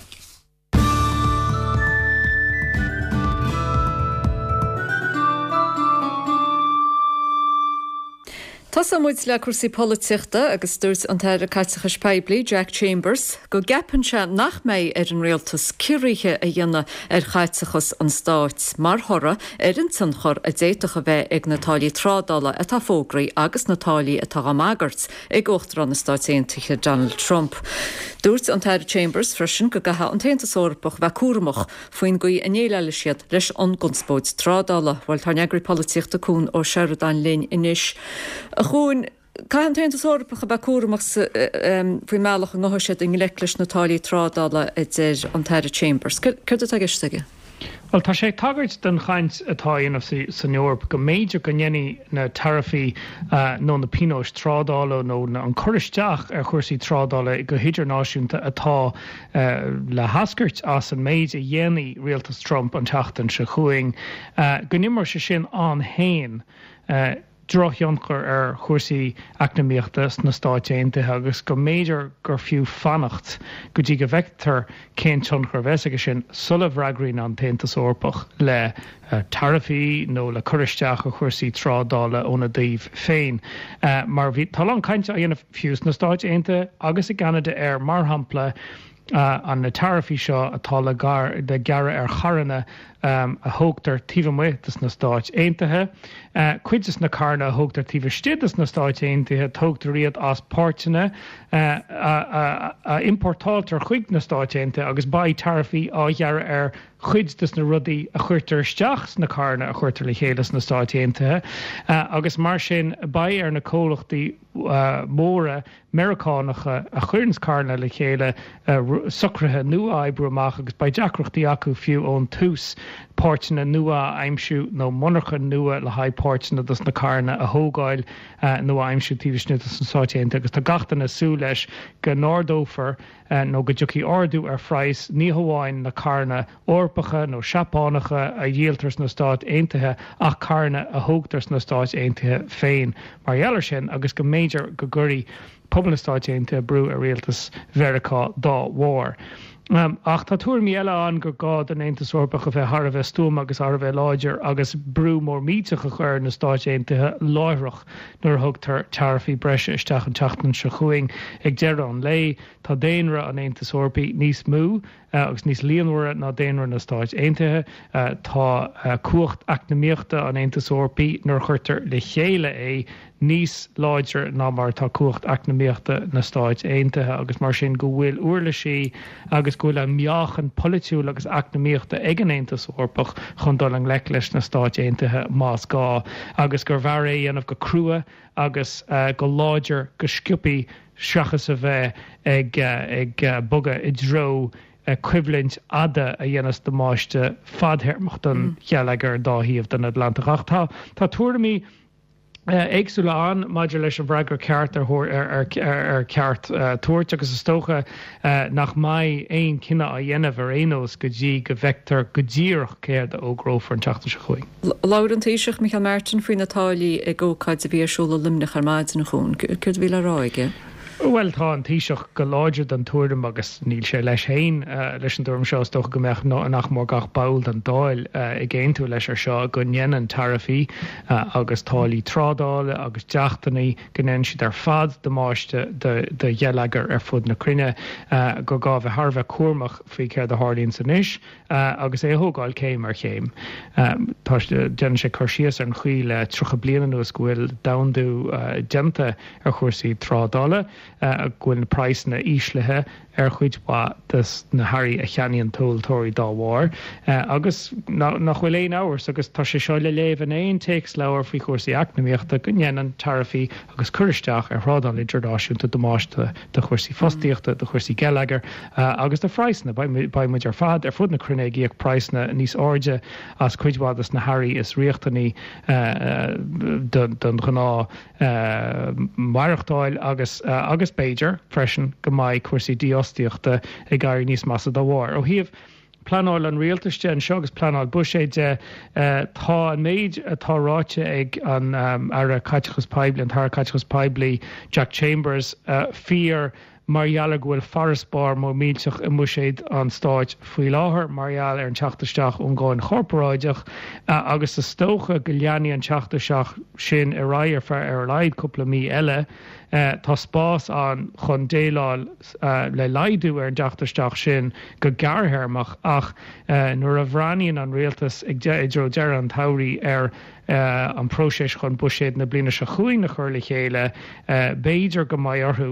Tosóidh muid le cúrsaí polaitíochta agus dúirt an tAire Caiteachais Poiblí, Jack Chambers, go gceapann sé nach mbeidh ar an rialtas ciorruithe a dhéanamh ar chaiteachas an stáit mar thoradh ar an tionchar a d'fhéadfadh a bheith ag na táillí trádála atá fógraithe agus na táillí atá á mbagairt ag Uachtarán na Stáit Aontaithe Donald Trump. Dúirt an tAire Chambers freisin go gcaithfidh an tAontas Eorpach bheith cúramach faoin gcaoi a ndéileálfaidh siad leis an gconspóid trádála. Bhuel, tá ár n-eagraí polaitíochta Cuan Ó Seireadáin linn anois. A Chuain, caithfidh an tAontas Eorpach a bheith cúramach faoin mbealach a ngabhfaidh siad i ngleic leis na táillí trádála, a deir an tAire Chambers. Céard atá i gceist aige? Bhuel, tá sé ag tagairt don chaint atá á dhéanamh san Eoraip go mb'fhéidir go ndéanfaidh na taraifí nó na pionóis trádála nó an cur isteach ar chúrsaí trádála go hidirnáisiúnta atá le heascairt as an méid a dhéanfaidh rialtas Trump an tseachtain seo chugainn, go n-imreoidh sé sin ann féin drochthionchar ar chúrsaí eacnamaíochta sna Stáit Aontaithe agus go mb'fhéidir gur fiú fanacht go dtí go bhfeictear cén tionchar a bheas aige sin sula bhfreagraíonn an tAontas Eorpach le taraifí nó le cur isteach ar chúrsaí trádála óna dtaobh féin. Mar bhí, tá a lán cainte á dhéanamh fiú sna Stáit Aontaithe agus i gCeanada ar, mar shampla, an na taraifí seo atá le gearradh ar charranna a thógtar taobh amuigh de sna Stáit Aontaithe. Cuid de na carranna a thógtar taobh istigh de sna Stáit Aontaithe, tógtar iad as páirteanna a iompórtáiltear chuig na Stáit Aontaithe agus beidh taraifí á ghearradh ar chuid de na rudaí a chuirtear isteach sna carranna a chuirtear le chéile sna Stáit Aontaithe agus mar sin beidh ar na comhlachtaí móra Meiriceánacha a chuireanns carranna le chéile socruithe nua a oibriú amach agus beidh deacrachtaí acu fiú ón tús páirteanna nua a aimsiú nó monarcha nua le haghaidh páirteanna dos na carranna a thógáil nó a aimsiú taobh istigh dos na Stáit Aontaithe agus tá gach duine ag súil leis go n-ardófar nó go dtiocfaidh ardú ar phraghas ní hamháin na carranna Eorpacha nó Seapánacha a dhíoltar sna Stáit Aontaithe ach carranna a thógtar sna Stáit Aontaithe féin mar gheall air sin agus go mb'fhéidir go gcuirfidh pobal na Stáit Aontaithe brú ar rialtas Mheiriceá dá bharr. Ach tá tuairimí eile ann gur gá don Aontas Eorpach a bheith thar a bheith stuama agus thar a bheith láidir agus brú mór millteach a chur ar na Stáit Aontaithe láithreach nuair a thugtar taraifí breise isteach an tseachtain seo chugainn. Ag deireadh an lae, tá daonra an Aontais Eorpaigh níos mó agus níos líonmhaire ná daonra na Stáit Aontaithe. Tá cumhacht eacnamaíochta an Aontais Eorpaigh, nuair a chuirtear le chéile é, níos láidre ná mar atá cumhacht eacnamaíochta na Stáit Aontaithe agus mar sin go bhfuil uirlisí agus go bhfuil an meáchan polaitiúil agus eacnamaíochta ag an Aontas Eorpach chun dul i ngleic leis na Stáit Aontaithe más gá agus gurbh fhearr é a dhéanamh go crua agus go láidir go sciobthaí seachas a bheith ag bogadh i dtreo coimhlint fhada a dhéanfas damáiste fadthéarmach don gheilleagar ar an dá thaobh den Atlantach. Ach tá tuairimí éagsúla ann maidir leis an bhfreagra ceart ar ar cheart tabhairt agus is dócha nach mbeidh aon chinneadh á dhéanamh ar aon nós go dtí go bhfeictear go díreach céard a fhógrófar an tseachtain seo chugainn. Labhair an Taoiseach Micheál Martin faoi na táillí ag ócáid a bhí ar siúl i Luimneach ar maidin, a Chuain. Céard a bhí le rá aige? Bhuel, tá an Taoiseach go láidir den tuairim, agus níl sé leis féin leis an dtuairim seo, is dócha go mbeadh nach mór gach ball den Dáil ag aontú leis ar seo, go ndéanann taraifí agus táillí trádála agus dleachtanna, go ndéanann siad ar fad damáiste do gheilleagar ar fud na cruinne, gur gá a bheith thar a bheith cúramach faoi céard a tharlaíonns anois. agus é a thógáil céim ar chéim. Tá, déanann sé cur síos ar an chaoi le 30 bliain anuas go bhfuil domhandú déanta ar chúrsaí trádála, go bhfuil na praghsanna íslithe ar chuid mhaith de na hearraí a cheannaíonn tomhaltóirí dá bharr, agus nach bhfuil aon amhras, agus tá sé seo le léamh in aon téacsleabhar faoi chúrsaí eacnamaíochta, go ndéanann taraifí agus cur isteach ar thrádáil idirnáisiúnta damáiste do chúrsaí fostaíochta, do chúrsaí geilleagair agus do phraghsanna. Beidh muid ar fad ar fud na cruinne ag íoc praghsanna níos airde as cuid mhaith de na hearraí is riachtanaí don ghnáth mhaireachtáil agus agus b'fhéidir freisin go mbeidh cúrsaí dífhostaíochta ag éirí níos measa dá bharr. Ó thaobh pleanáil an rialtais de anseo agus pleanáil buiséid de, tá an méid atá ráite ag an Aire Caiteachais Poiblí, an tAire Caiteachais Poiblí Jack Chambers, fíor mar gheall ar go bhfuil farasbarr mór millteach i mbuiséad an stáit faoi láthair mar gheall ar an teacht isteach ón gcáin chorparáideach agus is dócha go leanfaidh an teacht isteach sin ar aghaidh ar feadh ar a laghad cúpla mí eile. Tá spás ann chun déileáil le laghdú ar an dteacht isteach sin go gearrthéarmach ach nuair a bhreathnaíonn an rialtas i dtreo deireadh an tsamhraidh ar an próiseas chun buiséad na bliana seo chugainn a chur le chéile, b'fhéidir go mbeidh orthu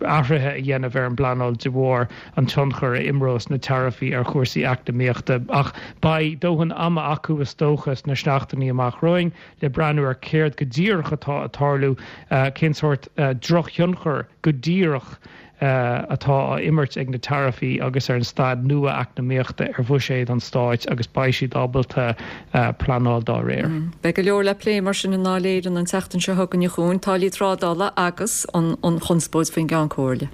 athruithe a dhéanamh ar an bpleanáil de bharr an tionchar a imreos na taraifí ar chúrsaí eacnamaíochta. Ach beidh dóthain ama acu is dócha sna seachtainí amach romhainn le breathnú ar céard go díreach atá ag tarlú, cén sórt drochthionchar go díreach atá á imirt ag na taraifí agus ar an staid nua eacnamaíochta ar bhuiséad an stáit agus beidh siad ábalta pleanáil dá réir. Beidh go leor le plé mar sin i nDáil Éireann an tseachtain seo chugainn, a Chuain, táillí trádála agus an chonspóid faoin gCeann Comhairle.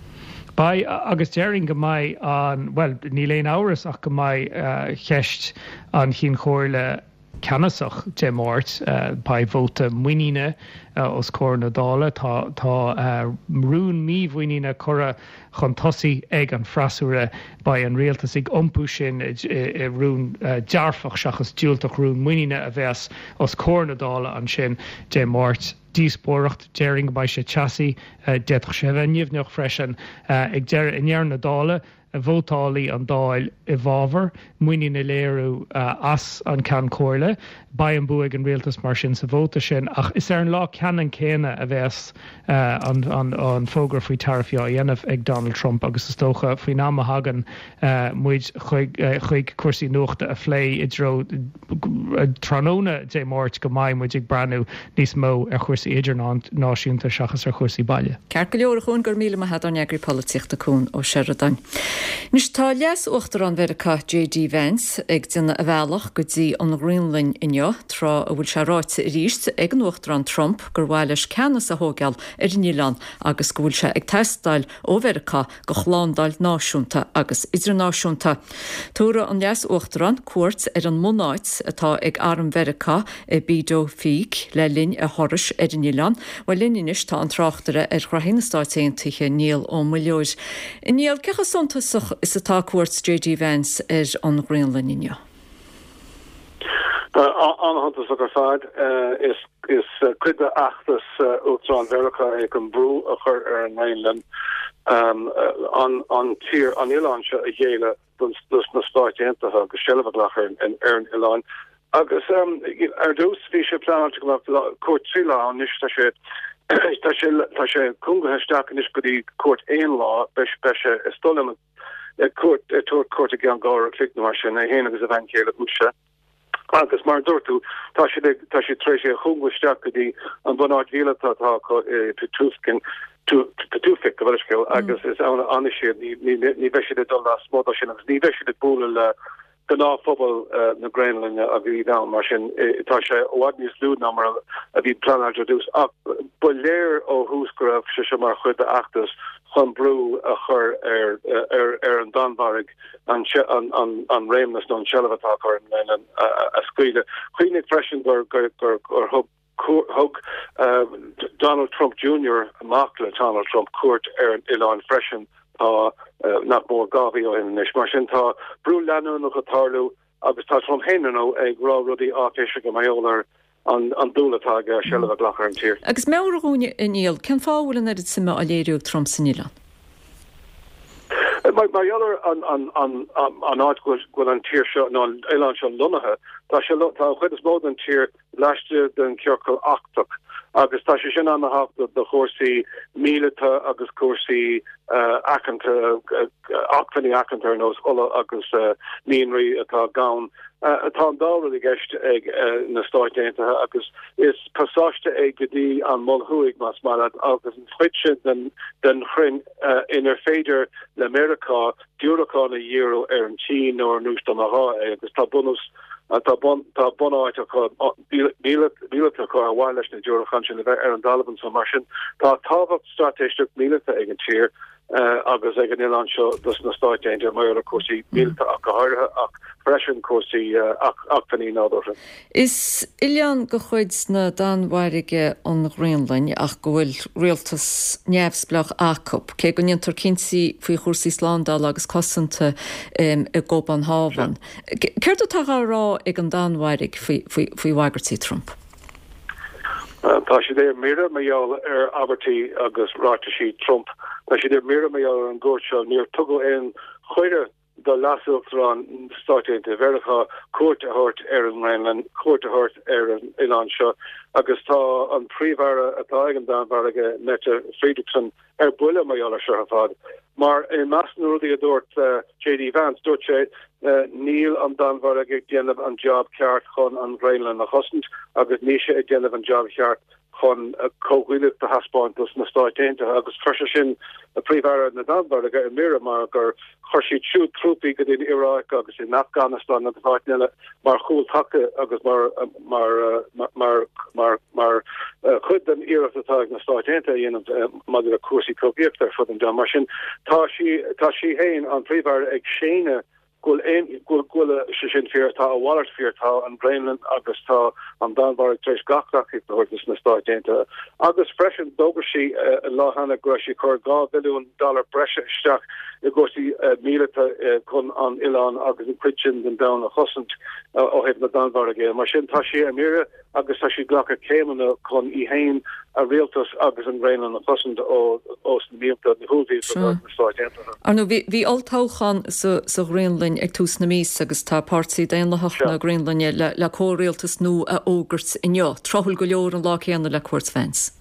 Beidh, agus déarfainn go mbeidh an, bhuel, níl aon amhras ach go mbeidh ceist an Chinn Chomhairle, ceannasach Dé Máirt. Beidh vóta muiníne os comhair na Dála. Tá tá rún mímhuiníne curtha chun tosaigh ag an bhfreasúra. Beidh an rialtas ag iompú sin i rún dearfach seachas diúltach, rún muiníne a bheas os comhair na Dála ansin Dé Máirt. Díospóireacht, déarfainn go mbeidh sé teasaí, d'fhéadfadh sé a bheith nimhneach freisin. Ag deireadh, i ndeireadh na dála, Vótálfaidh an Dáil i bhfabhar muinín a léiriú as an Ceann Comhairle. Beidh an bua ag an rialtas mar sin sa vóta sin ach is ar an lá ceannann céanna a bheas an fógra faoi taraifí á dhéanamh ag Donald Trump agus is dócha faoin am a thagann muid chuig cúrsaí nuachta a phlé i dtreo tráthnóna Dé Máirt go mbeidh muid ag breathnú níos mó ar chúrsaí idirnáisiúnta seachas ar chúrsaí baile. Ceart go leor, a Chuain, go raibh míle maith a't, ár n-eagraí polaitíochta Cuan Ó Seireadáin. Anois tá Leas-Uachtarán Mheiriceá JD Vance ag déanamh a bhealach go dtí an Ghraonlainn inniu, tráth a bhfuil sé ráite arís ag an Uachtarán Trump gur mhaith leis ceannas a thóigeáil ar an oileán agus go bhfuil sé ag teastáil ó Mheiriceá do shlándáil náisiúnta agus idirnáisiúnta. Tabharfaidh an Leas-Uachtarán cuairt ar an mbunáit atá ag Arm Mheiriceá i Pituffik le linn a thurais ar an oileán. Bhuel, linn anois tá an tráchtaire ar ghraithí na Stáit Aontaithe, Niall Ó Muilleoir. A Niall, cé chomh suntasach is atá cuairt JD Vance ar an Ghraonlainn inniu? An-shuntasach ar fad. Is cuid d'fheachtas Uachtarán Mheiriceá é chun brú a chur ar an nGraonlainn an tír, an oileán seo a ghéilleadh dos na Stáit Aontaithe agus seilbh a ghlacadh ar an oileán. Agus ar dtús bhí sé pleanáilte go mbeadh cuairt 3 lá ann, anois tá sé tá sé tá sé cúngaithe isteach anois go dtí cuairt aon lá, beidh sé is dóigh liom ag cuairt ag tabhairt cuairt i gceann 2 uair a chloig nó mar sin, é féin agus a bhean chéile Usha. Agus mar a dúirt tú, tá siad ag, tá siad tar éis é a chúngú isteach go dtí an bhunáit mhíleata atá acu i Pituffik, Pituffik, gabh mo leithscéal, agus is ann a fhanfaidh siad, ní, ní, ní bheidh siad ag dul lasmuigh de sin agus ní bheidh siad ag bualadh le gnáthphobal na Graonlainne agus iad ann, mar sin tá sé i bhfad níos lú ná mar a bhí pleanáilte ar dtús. Ach ba léir ó thús go raibh sé seo mar chuid d'fheachtas chun brú a chur ar ar an Danmhairg an an réimneas nó an tseilbh atá acu ar an nGraonlainn a scaoileadh. Cuimhnigh freisin gur gur gur thug. Thug Donald Trump Junior, mac le Donald Trump, cuairt ar an oileán freisin tá nach mór 2 mhí ó shin anois. Mar sin tá brú leanúnach ag tarlú agus tá Trump féin, ar ndóigh, ag rá rudaí áiféiseacha mar gheall ar an dúil atá aige seilbh a ghlacadh ar an tír. Agus meabhraigh dhúinn, a Niall, cén fáth a bhfuil an oiread suime á léiriú ag Trump san oileán? Mar gheall ar an áit go bhfuil an tír seo, nó an oileán seo lonnaithe, tá sé, tá an chuid is mó den tír laistigh den chiorcal Artach agus tá sé sin an-thábhachtach do chúrsaí míleata agus cúrsaí aiceanta, acmhainní aiceanta ar nós ola agus mianraí atá gann. Tá an dá rud i gceist ag na Stáit Aontaithe agus is pasáiste é go dtí an Mol Thuaidh, más maith leat, agus an chuid sin den chruinn inar féidir le Meiriceá diúracáin a dhíriú ar an tSín nó ar an Rúis dá mba ghá é agus tá bunús tá bunáit acu míleata acu ar mhaith leis na diúracáin sin a bheith ar an dtalamh ansan. Mar sin tá tábhacht straitéiseach míleata ag an tír. agus ag an oileán seo dos na Stáit Aontaithe mar gheall ar cúrsaí míleata ach go háirithe ach freisin cúrsaí acmhainní nádúrtha. Is oileán de chuid na Danmhairge an Ghraonlainn ach go bhfuil rialtas neamhspleách acu, cé go ndéantar cinntí faoi chúrsaí slándála agus cosanta i gCóbanhávan. Céard atá á rá ag an Danmhairg faoi bhagairtí Trump? Tá siad ar mire mar gheall ar abairtí agus ráitisí Trump. Tá siad ar mire mar gheall ar an gcuairt seo. Níor tugadh aon chuireadh do Leas-Uachtarán na Stáit Aontaithe Mheiriceá cuairt a thabhairt ar an nGraonlainn, cuairt a thabhairt ar an oileán seo agus tá an Príomh-Aire atá ag an Danmhairg, Mette Frederiksen, ar buile mar gheall ar seo ar fad. Mar i measc na rudaí a dúirt JD Vance, dúirt sé, Níl an Danmhairg ag déanamh an jab ceart chun an Ghraonlainn a chosaint agus níl sé ag déanamh an jab cheart chun comhghuaillíocht a thaispeáint dos na Stáit Aontaithe agus chuir sé sin Príomh-Aire na Danmhairge ar mire mar gur chuir siad siúd trúpaí go dtí an Iaráic agus in Afganastáin agus áiteanna eile mar chúl taca agus mar mar mar mar mar chuid den iarracht atá ag na Stáit Aontaithe a dhéanamh maidir le cúrsaí cogaíochta ar fud an domhain. Mar sin, tá sí tá sí féin, an Príomh-Aire, ag séanadh go bhfuil aon go bhfuil sé sin fíor, tá a mhalairt fíor, tá an Ghraonlainn agus tá an Danmhairg tar éis gach tacaíocht a thabhairt dos na Stáit Aontaithe. Agus freisin, d'fhógair sí an lá cheana go raibh sí ag cur 2 bhilliún dollar breise isteach i gcúrsaí míleata chun an oileán agus an chuid sin den domhan a chosaint ó thaobh na Danmhairge de. Mar sin, tá sí ar mire agus tá sí ag glacadh céimeanna chun í féin, a rialtas agus an Ghraonlainn a chosaint ó na mianta, na huaillmhianta atá ag na Stáit Aontaithe. Ar ndóigh, bhí olltoghchán sa Ghraonlainn ag tús na míosa agus tá Páirtí Daonlathach na Graonlainne le comhrialtas nua a fhógairt inniu, tráthúil go leor an lá céanna le cuairt Vance.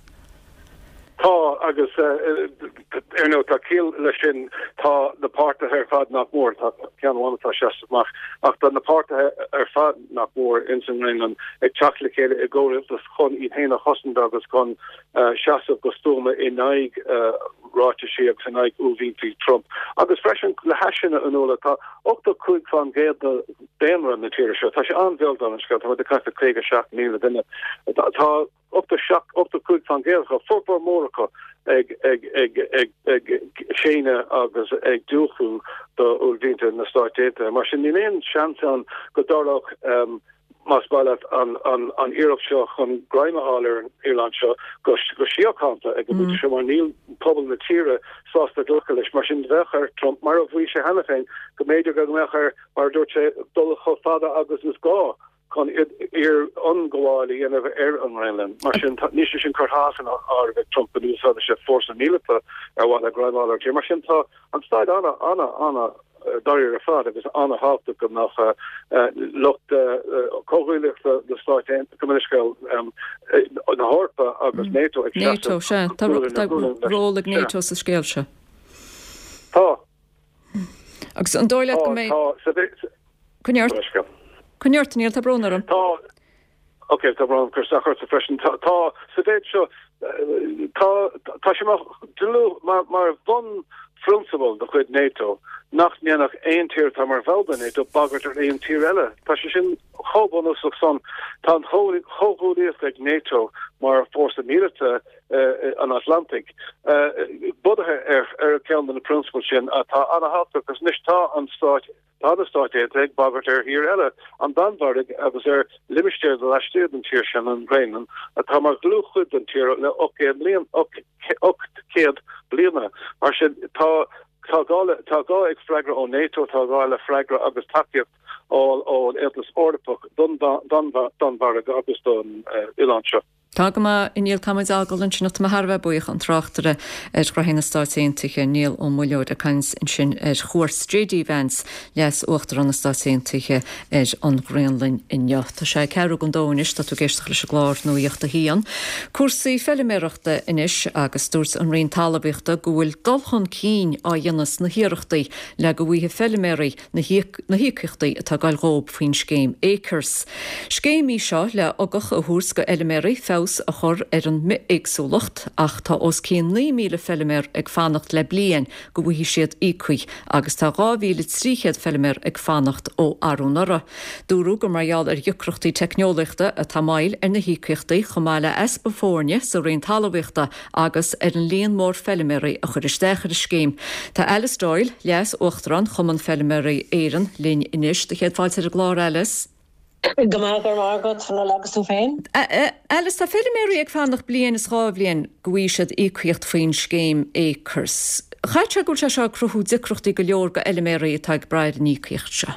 Tá, agus ar ndóigh tá ciall leis sin, tá na páirtithe ar fad nach mór, tá ceann amháin atá ag seasamh amach, ach tá na páirtithe ar fad nach mór ins an nGraonlainn ag teacht le chéile i gcomhrialtas chun iad féin a chosaint agus chun seasamh go stuama in aghaidh ráitisí agus in aghaidh uaillmhianta Trump. Agus freisin le hais sin a Fhionnuala, tá 85% de daonra na tíre seo, tá sé an-bheag dála an scéil, tá muid ag caint fá 57,000 duine, tá 87, 85% acu, formhór mór acu ag séanadh agus ag diúltú do uaillmhianta na Stáit Aontaithe. Mar sin, níl aon seans ann go dtarlódh, más maith leat, an iarracht seo chun greim a fháil ar an oileán seo go síochánta ag an bpointe seo, mar níl pobal na tíre sásta glacadh leis. Mar sin, bheadh ar Trump, mar a mhaígh sé cheana féin, go mb'fhéidir go mbeadh air, mar a dúirt sé, dul chomh fada agus is gá. chun iar-ionghabháil a dhéanamh ar an nGraonlainn. Mar sin, níl sé sin curtha as an áireamh ag Trump go n-úsáidfeadh sé fórsa míleata ar mhaithe le greim a fháil ar an tír. Mar sin, tá an staid ana, ana, ana dáiríre ar fad agus ana-thábhachtach go mbeadh lucht comhghuaillíochta na Stáit Aontaithe, gabh mo leithscéal, na hEorpa agus NATO ag seasamh NATO, sea. Tá ról ag NATO sa scéal seo. Tá. Agus an dóigh leat go mbeidh. Tá. Coinnigh ort. Coinnigh ort, Niall, tá brón orm. Tá, ok, tá brón orm cur isteach ortsa freisin. Tá, tá, sa mhéid seo, tá, tá sé mar dlúth, mar, mar bhunphrionsabal de chuid NATO nach ndéanfadh aon tír atá mar bhall de NATO bagairt ar aon tír eile. Tá sé sin chomh bunúsach san. Tá an chomhghuaillíocht ag NATO mar fórsa míleata an Atlantaigh bunaithe ar, ar cheann de na prionsabail sin atá an-thábhachtach agus anois tá an Stáit. Tá na Stáit Aontaithe ag bagairt ar thír eile, an Danmhairg, agus ar limistéar laistigh den tír sin, an Ghraonlainn, atá mar dhlúthchuid den tír le 800 bliain, 800 bliana. Mar sin, tá tá gá le tá gá ag freagra ó NATO, tá gá le freagra agus tacaíocht a fháil ón Aontas Eorpach don Danmhairg agus don oileán seo. Tá go maith, a Niall, tá muid á fhágáil ansin ach tá mé thar a bheith buíoch, an tráchtaire ar ghnoithí na Stáit Aontaithe, Niall Ó Muilleoir, ag caint ansin ar chuairt JD Vance, Leas-Uachtarán na Stáit Aontaithe, ar an Ghraonlainn inniu. Tá sé ceathrú don dó anois, tá tú ag éisteacht leis an gclár Nuacht a hAon. Cúrsaí feiliméarachta anois agus dúirt an Roinn Talmhaíochta go bhfuil dul chun cinn á dhéanamh sna hiarrachtaí le go bhfaighidh feiliméaraí na híocaíochtaí atá ag goil dhóib faoin scéim Acres. Scéim í seo le ugach a thabhairt go fheiliméaraí feabhas a chur ar an mbithéagsúlacht ach tá os cionn 9,000 feiliméar ag fanacht le bliain go bhfaighidh siad íocaíocht agus tá 2,300 feiliméar ag fanacht ó arú anuraidh. Dúradh gur mar gheall ar dheacrachtaí teicneolaíochta atá moill ar na híocaíochtaí chomh maith le easpa foirne sa Roinn Talmhaíochta agus ar an líon mór feiliméaraí a chuir isteach ar an scéim. Tá Alice Doyle, Leas-Uachtarán Chumann Feiliméaraí Éireann, linn anois. Do chéad fáilte ar an gclár, Alice. Go maith, go raibh maith agat, Fionnuala, agus tú féin? Alice, tá feiliméaraí ag fanacht bliain is dhá bhliain go bhfaighidh siad íocaíocht faoin scéim Acres. Chaithfeadh sé go bhfuil sé seo ag cruthú deacrachtaí go leor go fheiliméaraí atá ag brath ar an íocaíocht seo.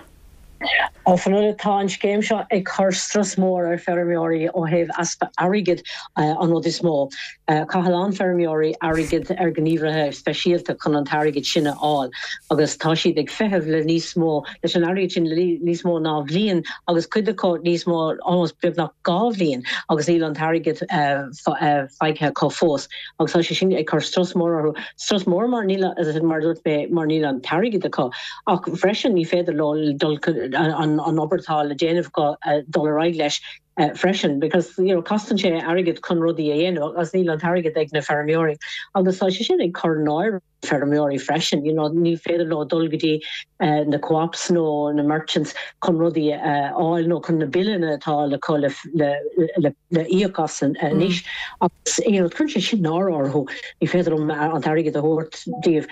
A Fhionnuala, tá an scéim seo ag cur strus mór ar feirmeoirí ó thaobh easpa airgid an rud is mó. Chaith a lán feirmeoirí airgead ar ghníomhaithe speisialta chun an t-airgead sin a fháil agus tá siad ag feitheamh le níos mó, leis an airgead sin le níos mó ná bhliain agus cuid acu níos mó, almost beagnach dhá bhliain agus níl an t-airgead faighte acu fós. Agus tá sé sin ag cur strus mór orthu. Strus mór mar níl, mar a dúirt mé, mar níl an t-airgead acu. Ach freisin ní féidir leo dul an obair atá le déanamh acu dul ar aghaidh leis freisin because you know costann sé airgead chun rudaí a dhéanamh agus níl an t-airgead ag na feirmeoirí. Agus tá sé sin ag cur náire ar feirmeoirí freisin, you know ní féidir leo dul go dtí na co-ops nó na merchants chun rudaí a fháil nó chun na billeanna atá le le le íoc as anois agus you know cuireann sé sin náire orthu. Ní féidir liom an t-airgead a thabhairt díobh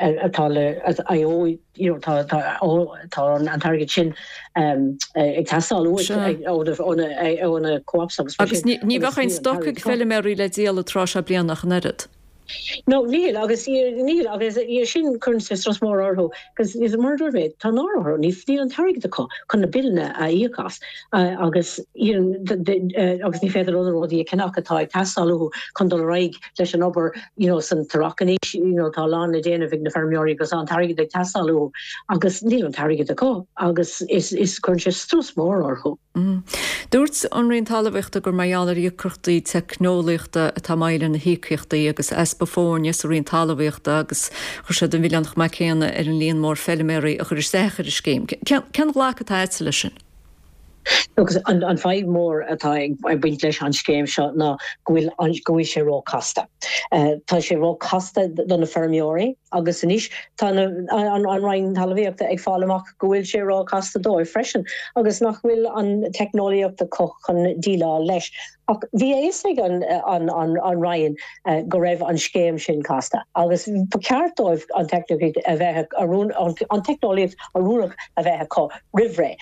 atá le I owe you know tá tá tá an t-airgead sin ag teastáil uait ó na co-ops agus mar sin. Agus ní bheadh aon stoc ag feiliméaraí le díol an tráth seo bliana ach an oiread. No, níl, agus níl, agus sin, cuireann sé strus mór orthu, agus mar a dúirt mé, tá náire orthu, níl an t-airgead acu chun na billeanna a íoc as, agus agus ní féidir leo na rudaí a cheannach atá ag teastáil uathu chun dul ar aghaidh leis an obair, you know, san t-earrach anois, you know, tá a lán le déanamh ag na feirmeoirí agus tá an t-airgead ag teastáil uathu, agus níl an t-airgead acu, agus is, is, cuireann sé strus mór orthu. Dúirt an Roinn Talmhaíochta gur mar gheall ar dheacrachtaí teicneolaíochta atá moill ar na híocaíochtaí agus easpa foirne sa Roinn Talmhaíochta agus chuir siad an milleán chomh maith céanna ar an líon mór feiliméaraí a chuir isteach ar an scéim. Cén ghlac atá agatsa leis sin? Agus an fadhb mór atá ag baint leis an scéim seo ná go bhfuil go bhfuil sé ró-chasta. Tá sé ró-chasta do na feirmeoirí agus anois tá an Roinn Talmhaíochta ag fáil amach go bhfuil sé ró-chasta dóibh freisin agus nach bhfuil an teicneolaíocht acu chun déileáil leis. Ach bhí a fhios ag an Roinn go raibh an scéim sin casta agus ba cheart dóibh an teicneolaíocht a bheith an teicneolaíocht oiriúnach a bheith acu roimh ré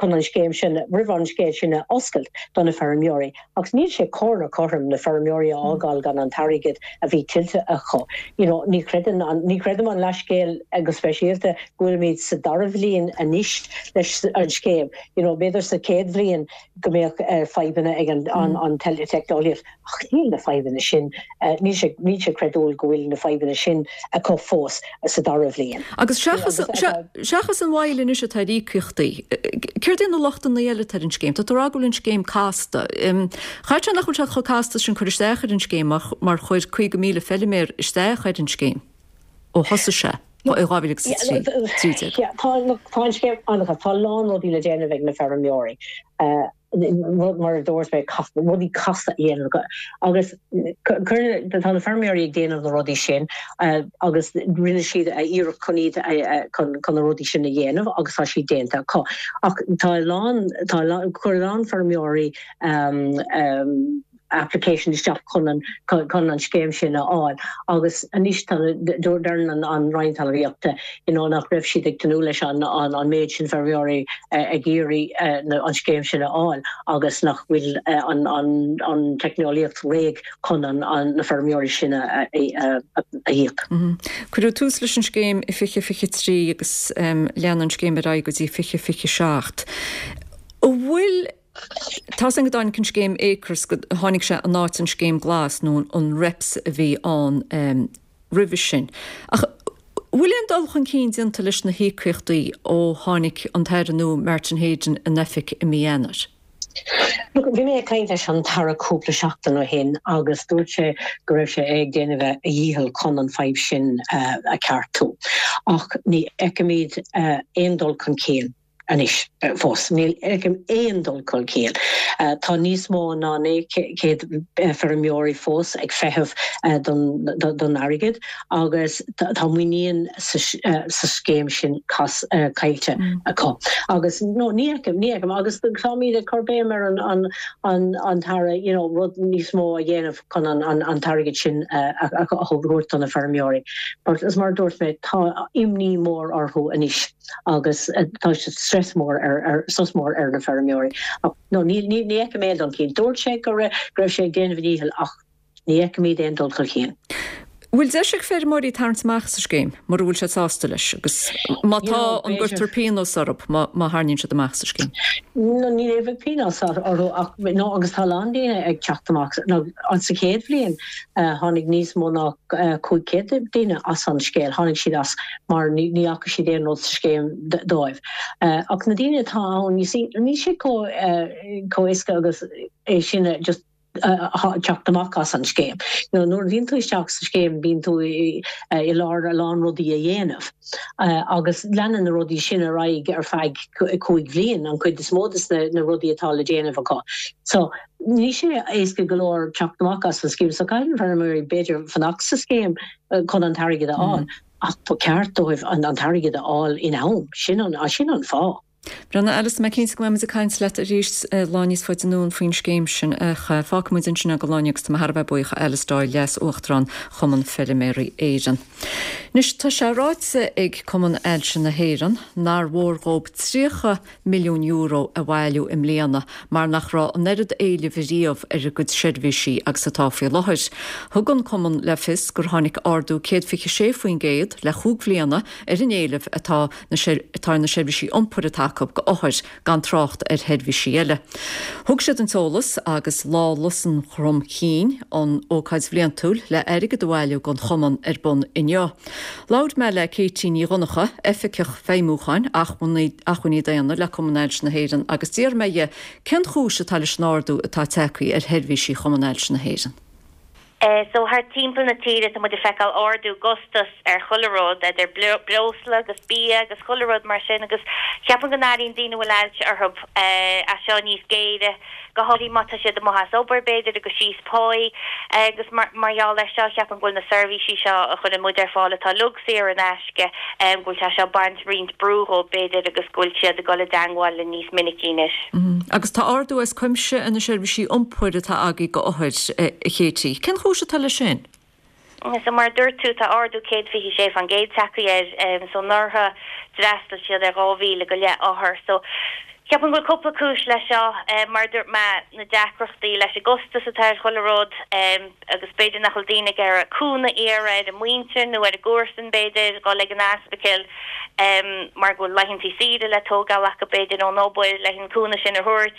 chun an scéim sin roimh an scéim sin a oscailt do na feirmeoirí. Ach níl sé cóir ná cothrom na feirmeoirí a fhágáil gan an t-airgead a bhí tuillte acu. You know, ní chreideann an, ní chreidim an leathscéal go speisialta go bhfuilimid sa dara bhliain anois leis an scéim. You know, b'fhéidir sa chéad bhliain go mbeadh fadhbanna ag an, an, an teicneolaíocht ach níl na fadhbanna sin, níl sé, níl sé creidiúil go bhfuil na fadhbanna sin acu fós sa dara bhliain. Agus seachas, seachas an mhoill anois atá ar íocaíochtaí, céard é na lochtanna eile atá ar an scéim? Tá tú ag rá go bhfuil an scéim casta. Chaithfeadh sé nach bhfuil sé chomh casta sin cur isteach ar an scéim mar chuir 50,000 feiliméar isteach ar an scéim ó thosaigh sé i 2013. Tá an scéim an-chasta. Tá a lán rudaí le déanamh ag na feirmeoirí. rud mar a dúirt mé, rudaí casta a dhéanamh agus tá na feirmeoirí ag déanamh na rudaí sin agus rinne siad iarracht chun iad chun na rudaí sin a dhéanamh agus tá siad déanta acu. Ach tá a lán, tá a lán, chuir a lán feirmeoirí. application isteach chun an chun an scéim sin a fháil agus anois tá deireann an Roinn Talmhaíochta you know nach raibh siad ag tnúth leis an an méid sin feirmeoirí ag iarraidh an scéim sin a fháil agus nach bhfuil an an an teicneolaíocht réidh chun an na feirmeoirí sin a íoc. Cuireadh tús leis an scéim i 2023 agus lean an scéim ar aghaidh go dtí 2027. An bhfuil Tá's againn go dtáinig an scéim Acres, go tháinig sé in áit an scéim Glas nó an REPS a bhí ann roimhe sin. Ach bhfuil aon dul chun cinn déanta leis na híocaíochtaí ó tháinig an tAire nua Martin Heydon in oifig i mí Eanáir? Look, bhí mé ag caint leis an tAire cúpla seachtain ó shin agus dúirt sé go raibh sé ag déanamh a dhícheall chun an fadhb sin a cheartú. Ach ní fheicimid aon dul chun cinn. anois fós. Ní fheicim aon dul chun cinn. Tá níos mó ná 900 feirmeoirí fós ag feitheamh don airgead agus tá muinín sa scéim sin caillte acu. Agus no, ní fheicim, ní fheicim. Agus táimid ag cur béim ar an tAire you know rud níos mó a dhéanamh chun an t-airgead sin a thabhairt do na feirmeoirí. But as mar a dúirt mé, tá imní mór orthu anois. agus tá stress mór ar strus mór ar na feirmeoirí. Ach no ní ní ní fheicim aon dul chun cinn. Dúirt sé go raibh go raibh sé ag déanamh a dhícheall ach ní fheicimid aon dul chun cinn. Bhfuil deis ag feirmeoirí tarraingt amach as an scéim mura bhfuil siad sásta leis agus má tá an gcuirtear pionós orthu má má tharraingíonn siad amach as an scéim? No ní bheidh pionós orthu ach no agus tá a lán daoine ag teacht amach no sa chéad bhliain tháinig níos mó ná 500 duine as an scéal, tháinig siad as mar ní fhaca siad aon rud sa scéim dóibh. Ach na daoine atá ann, you see, níl sé chomh éasca agus é sin a just teacht amach as an scéim. You know, nuair a bhíonn tú isteach sa scéim bíonn tú i lár a lán rudaí a dhéanamh agus leanann na rudaí sin ar aghaidh ar feadh 5 bhliain, an chuid is mó de na rudaí atá le déanamh acu. So, Níl sé éasca go leor teacht amach as an scéim so caithfidh na feirmeoirí b'fhéidir fanacht sa scéim chun an t-airgead a fháil ach ba cheart dóibh an t-airgead a fháil in am, sin an sin an fáth. Bhuel Alice, tá mé cinnte go mbeidh muid ag caint leat arís lá níos faide anonn faoin scéim sin ach fágfaidh muid ansin é don lá inniu agus tá mé thar a bheith buíoch Alice Doyle, Leas-Uachtarán Chumann Feirmeoirí Éireann. Anois tá sé ráite ag Cumann Ailse na hÉireann nár mhór dhóibh 30 milliún euro a bhailiú i mbliana mar nach raibh an oiread éilimh ariamh ar a gcuid seirbhísí agus atá faoi láthair. Thug an cumann le fios gur tháinig ardú 126% le chúig bhliana ar an éileamh atá atá ar na seirbhísí iompair atá acu go othair gan trácht ar sheirbhísí eile. Thug siad an t-eolas agus Lá Lus an Chrom Chinn, an ócáid bhliantúil le airgead a bhailiú don chumann ar bun inniu. Labhair mé le Katie Ní Dhonncha, Oifigeach Feidhmiúcháin, Acmhainní Daonna le Cumann Ailse na hÉireann agus d'iarr mé dhi cén chúis atá leis an ardú atá tagtha ar sheirbhísí Chumann Ailse na hÉireann. So thart timpeall na tíre tá muid ag feiceáil ardú i gcostas ar chuile rud, idir breosla agus bia agus chuile rud mar sin agus ceapaim go n-airíonn daoine a bhfuil ailse orthu é seo níos géire. go háirithe má tá siad amuigh as obair, b'fhéidir, agus síos páí agus mar gheall air seo, ceapaim go bhfuil na seirbhísí seo a chuireann muid ar fáil atá uilig saor in aisce, go bhfuil sé seo ag baint roinnt brú dhóibh, b'fhéidir, agus go bhfuil siad ag dul i dteangmháil linn níos minicí anois. Agus tá ardú as cuimse ar na seirbhísí iompair atá agaibh go othair, a Katie. Cén chúis atá leis sin? So mar a dúirt tú, tá ardú 126% tagtha air. So anuraidh d'fhreastail siad ar 2,000 go leith othar. So ceapaim go bhfuil cúpla cúis leis seo. Mar a dúirt mé, na deacrachtaí leis an gcostas atá ar chuile rud agus b'fhéidir nach bhfuil daoine ag iarraidh cúnamh a iarraidh ar a muintir nó ar a gcomharsain b'fhéidir, dhul ag an ospidéal mar go bhfuil laethantaí saoire le tógáil acu b'fhéidir ón obair leis an cúnamh sin a thabhairt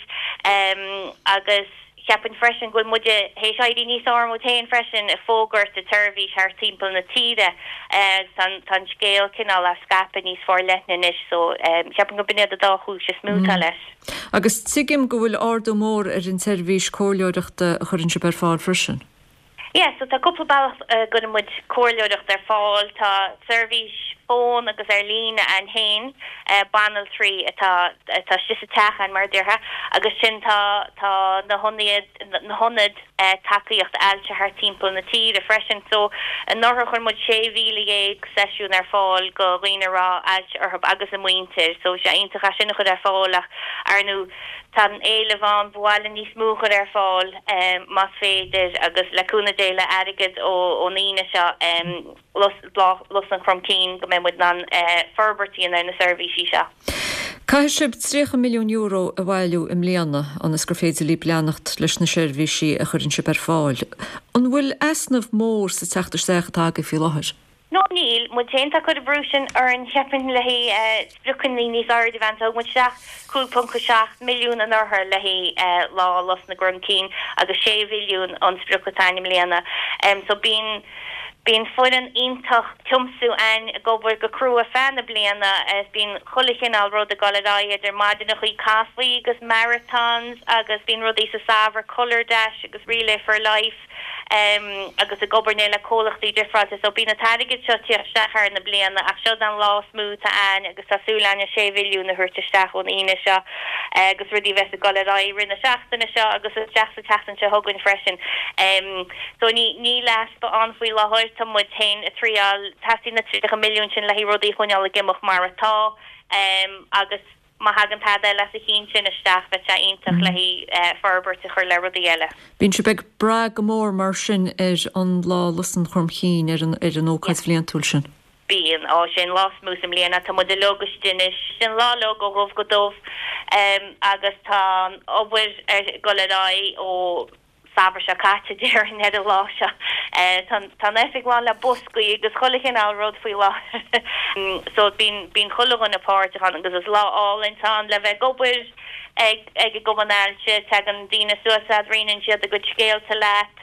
agus Cheapfainn freisin go bhfuil muide théis éirí níos fearr muid féin freisin ag fógairt an tseirbhís thart timpeall na tíre agus tá an scéal cineál á scaipeadh níos forleithne anois so cheapfainn go b'in iad an dá chúis is mó atá leis. Agus tuigim go bhfuil ardú mór ar an tseirbhís comhairleoireachta a chuireann sibh ar fáil freisin. Yeah so tá cúpla bealach a gcuireann muid comhairleoireacht ar fáil. Tá seirbhís. fón agus ar líne a'inn féin, banaltraí atá atá istigh sa teach a'inn mar a déarfá agus sin tá tá na hionaid na hionaid tacaíocht ailse thart timpeall na tíre freisin. So anuraidh chuir muid 16,000 seisiún ar fáil go dhaoine a raibh ailse orthu agus a muintir. So sé iontach é sin a chur ar fáil ach ar ndú tá an éileamh ann, ba mhaith linn níos mó a chur ar fáil más féidir agus le cúnamh Dé le airgead ón Aoine seo. Lá Lus an Chromchinn go mbeidh muid in ann forbairt a dhéanamh ar na seirbhísí seo. Caithfidh sibh €30 milliún a bhailiú i mbliana ionas gur féidir libh leanacht leis na seirbhísí a chuireann sibh ar fáil. An bhfuil easnamh mór sa teacht isteach atá agaibh faoi láthair? No níl. Muid féin atá ag cur an brú sin orainn, cheapfainn, le haghaidh spriocanna níos airde a bheith ann. Thug muid isteach 5.7 milliún anuraidh le haghaidh Lá Lus na gCromchinn agus 6 mhilliún an sprioc atá ann i mbliana. So bíonn bíonn foireann iontach tiomsú a'inn ag obair go crua feadh na bliana is bíonn chuile chineál rud ag dul ar aghaidh idir maidineachaí caife agus marathons agus bíonn rudaí sa samhradh Colour Dash agus Relay for Life. agus ag obair le comhlachtaí difreáilte so bíonn an t-airgead seo ag tíocht isteach thar na bliana ach seo an lá is mó atá a'inn agus tá súil a'inn an 6 mhilliún a thabhairt isteach ón Aoine seo agus rudaí a bheas ag dul ar aghaidh i rith na seachtaine seo agus isteach sa tseachtain seo chugainn freisin. So ní níl easpa ann faoi láthair, tá muid féin ag triáil, teastaíonn na 30 milliún sin le haghaidh rudaí a choinneáil ag imeacht mar atá agus Má thagann tada eile as a chionn sin isteach, bheadh sé iontach le haghaidh forbairt a chur le rudaí eile. Bíonn sibh ag brath go mór mar sin ar an Lá Lus an Chromchinn, ar an ar an ócáid bhliantúil sin. Bíonn. Ó, sé an lá is mó sa mbliain é. Tá muid uilig istigh anois. Sin lá uilig ó dhubh go dubh agus tá an obair ag dul ar aghaidh ó. samhradh seo caite, déarfainn, ar an lá seo. Tá an oifig lán le boscaí agus chuile chineál rud faoi láthair. So bíonn, bíonn chuile dhuine páirteach ann agus is lá álainn atá ann le bheith ag obair ag, ag an gCumann Ailse. Tagann daoine suas leat, roinneann siad a gcuid scéalta leat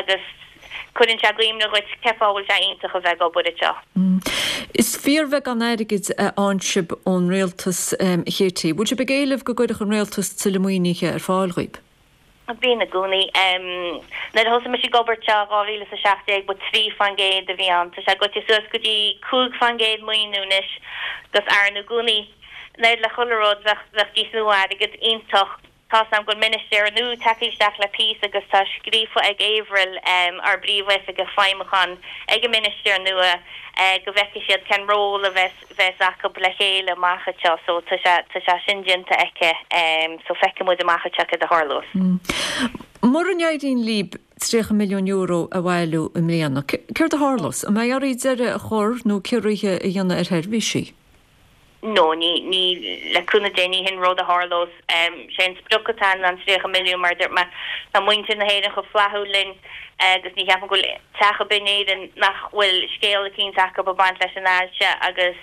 agus cuireann sé i gcuimhne dhuit cén fáth a bhfuil sé iontach a bheith ag obair anseo. Is fíorbheagán airgid a fhaigheann sibh ón rialtas, a Katie. Bhfuil sibh ag éileamh go gcuirfeadh an rialtas tuilleadh maoinithe ar fáil dhaoib? Bíonn i gcónaí. Nuair a thosaigh mise ag obair anseo i 2017 ba 3% a bhí ann. Tá sé goite suas go dtí 5% maoiniú anois agus ar ndú i gcónaí an oiread le chuile rud bheadh bheadh níos mó airgead iontach. Tá's a'm go bhfuil ministéir nua tagtha isteach le píosa agus tá scríofa ag Avril, ár bPríomhoifigeach Feidhmiúcháin, ag an ministéir nua go bhfeicfidh siad cén ról a bheas bheas acu le chéile amach anseo so tá sé tá sé sin déanta aici so feicfidh muid amach anseo céard a tharlós. Mura n-éiríonn libh €30 milliún a bhailiú i mbliana, céard a tharlós? An mbeidh oraibh deireadh a chur nó ciorruithe a dhéanamh ar sheirbhísí? No, ní, ní, le cúnamh Dé, ní hin rud a tharlós. Sé an sprioc atá ann ná an 30 milliún mar a dúirt mé, tá muintir na hÉireann chomh flaithiúil linn agus ní cheapaim go bhfuil teach ar bith in Éirinn nach bhfuil scéal eicínt acu ag baint leis an ailse agus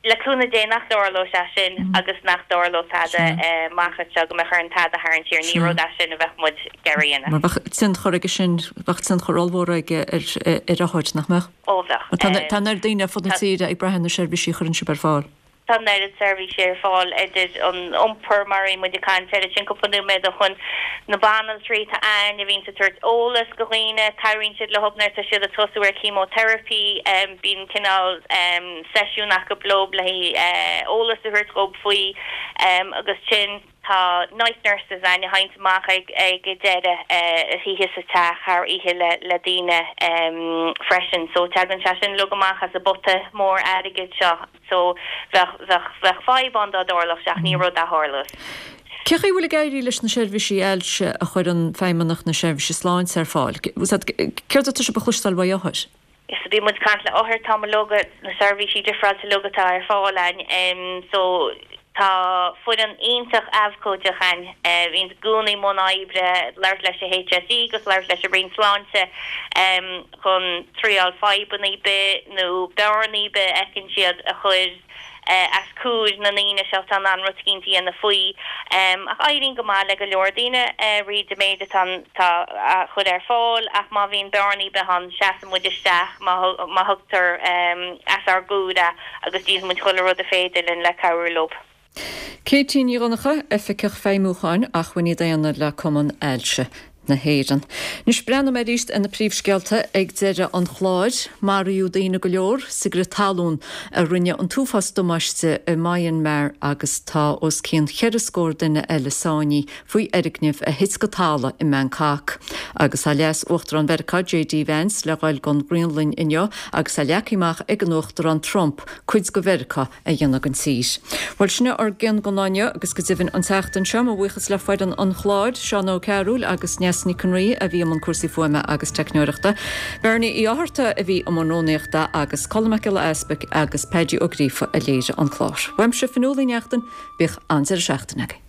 le cúnamh Dé nach dtarlóidh sé sin agus nach dtarlóidh tada amach anseo go mbeadh orainn tada a tharraingt siar. Ní rud é sin a bheadh muid ag iarraidh a dhéanamh. Mar bheadh tionchar aige sin, bheadh tionchar ollmhór aige ar othair, nach mbeadh? Ó bheadh. Tá an oiread daoine ar fud na tíre ag brath ar na seirbhísí a chuireann sibh ar fáil. Tá an oiread seirbhísí ar fáil, idir an iompar, mar a bhí muid ag caint air ansin cúpla nóiméad ó shoin, na banaltraí atá ann a bhíonns ag tabhairt eolas go dhaoine, cabhraíonn siad leo nuair atá siad ag tosú ar chemotherapy, bíonn cineál seisiún acu leo le haghaidh eolas a thabhairt dhób faoi agus sin. Tá night nurses ann a théanns amach ag ag deireadh oíche sa teach thar oíche le le daoine freisin. So tagann sé sin uilig amach as an bpota mór airgid seo. So bheadh bheadh bheadh fadhb ann dá dtarlódh sé ach ní rud a tharlós. Cé chaoi a bhfuil ag éirí leis na seirbhísí ailse a chuireann Feidhmeannacht na Seirbhíse Sláinte ar fáil? Céard atá sibh a chloisteáil uaidh othair? So bíonn muid ag caint le othair, tá uilig, na seirbhísí difreáilte uilig atá ar fáil a'inn. So tá foireann iontach abhcóideach a'inn a bhíonns i gcónaí i mbun oibre, labhairt leis an HSE agus labhairt leis an Roinn Sláinte chun triáil fadhbanna ar bith nó bearnaí ar bith a fheiceann siad a chur as comhair na ndaoine seo atá in ann rud eicínt a dhéanamh faoi. Ach éiríonn go maith le go leor daoine thríd an méid atá atá á chur ar fáil ach má bhíonn bearnaí ar bith ann seasann muid isteach má má thugtar as ár gcomhair é agus déanfaidh muid chuile rud a féidir linn le cabhrú leo. Katie Ní Dhonncha, Oifigeach Feidhmiúcháin, Acmhainní Daonna le Cumann Ailse. na hÉireann. Anois breathnóidh mé arís ar na príomhscéalta ag deireadh an chláir. Maraíodh daoine go leor sa gcrith talún a rinne an t-uafás damáiste i Myanmar agus tá os cionn cheithre scór duine eile sáinnithe faoi fhoirgnimh a thit go talamh i mBangkok. Agus tá Leas-Uachtarán Mheiriceá JD Vance le dhul don Ghraonlainn inniu agus tá leagtha amach ag an Uachtarán Trump cuid de Mheiriceá a dhéanamh den tír. Bhuel, sin é ár gcion don lá inniu agus go deimhin an tseachtain seo, mo bhuíochas le foireann an chláir, Seán Ó Cearúil agus Neasa Nic an Rí a bhí i mbun cúrsaí fuaime agus teicneoireachta, Bernie Uí Fhátharta a bhí i mbun rúnaíochta agus Colm Mac Giolla Easpaig agus Paddy Ó Gríofa a léirigh an clár. Uaimse, Fionnuala Ní Neachtain, bíodh an-deireadh seachtaine agaibh.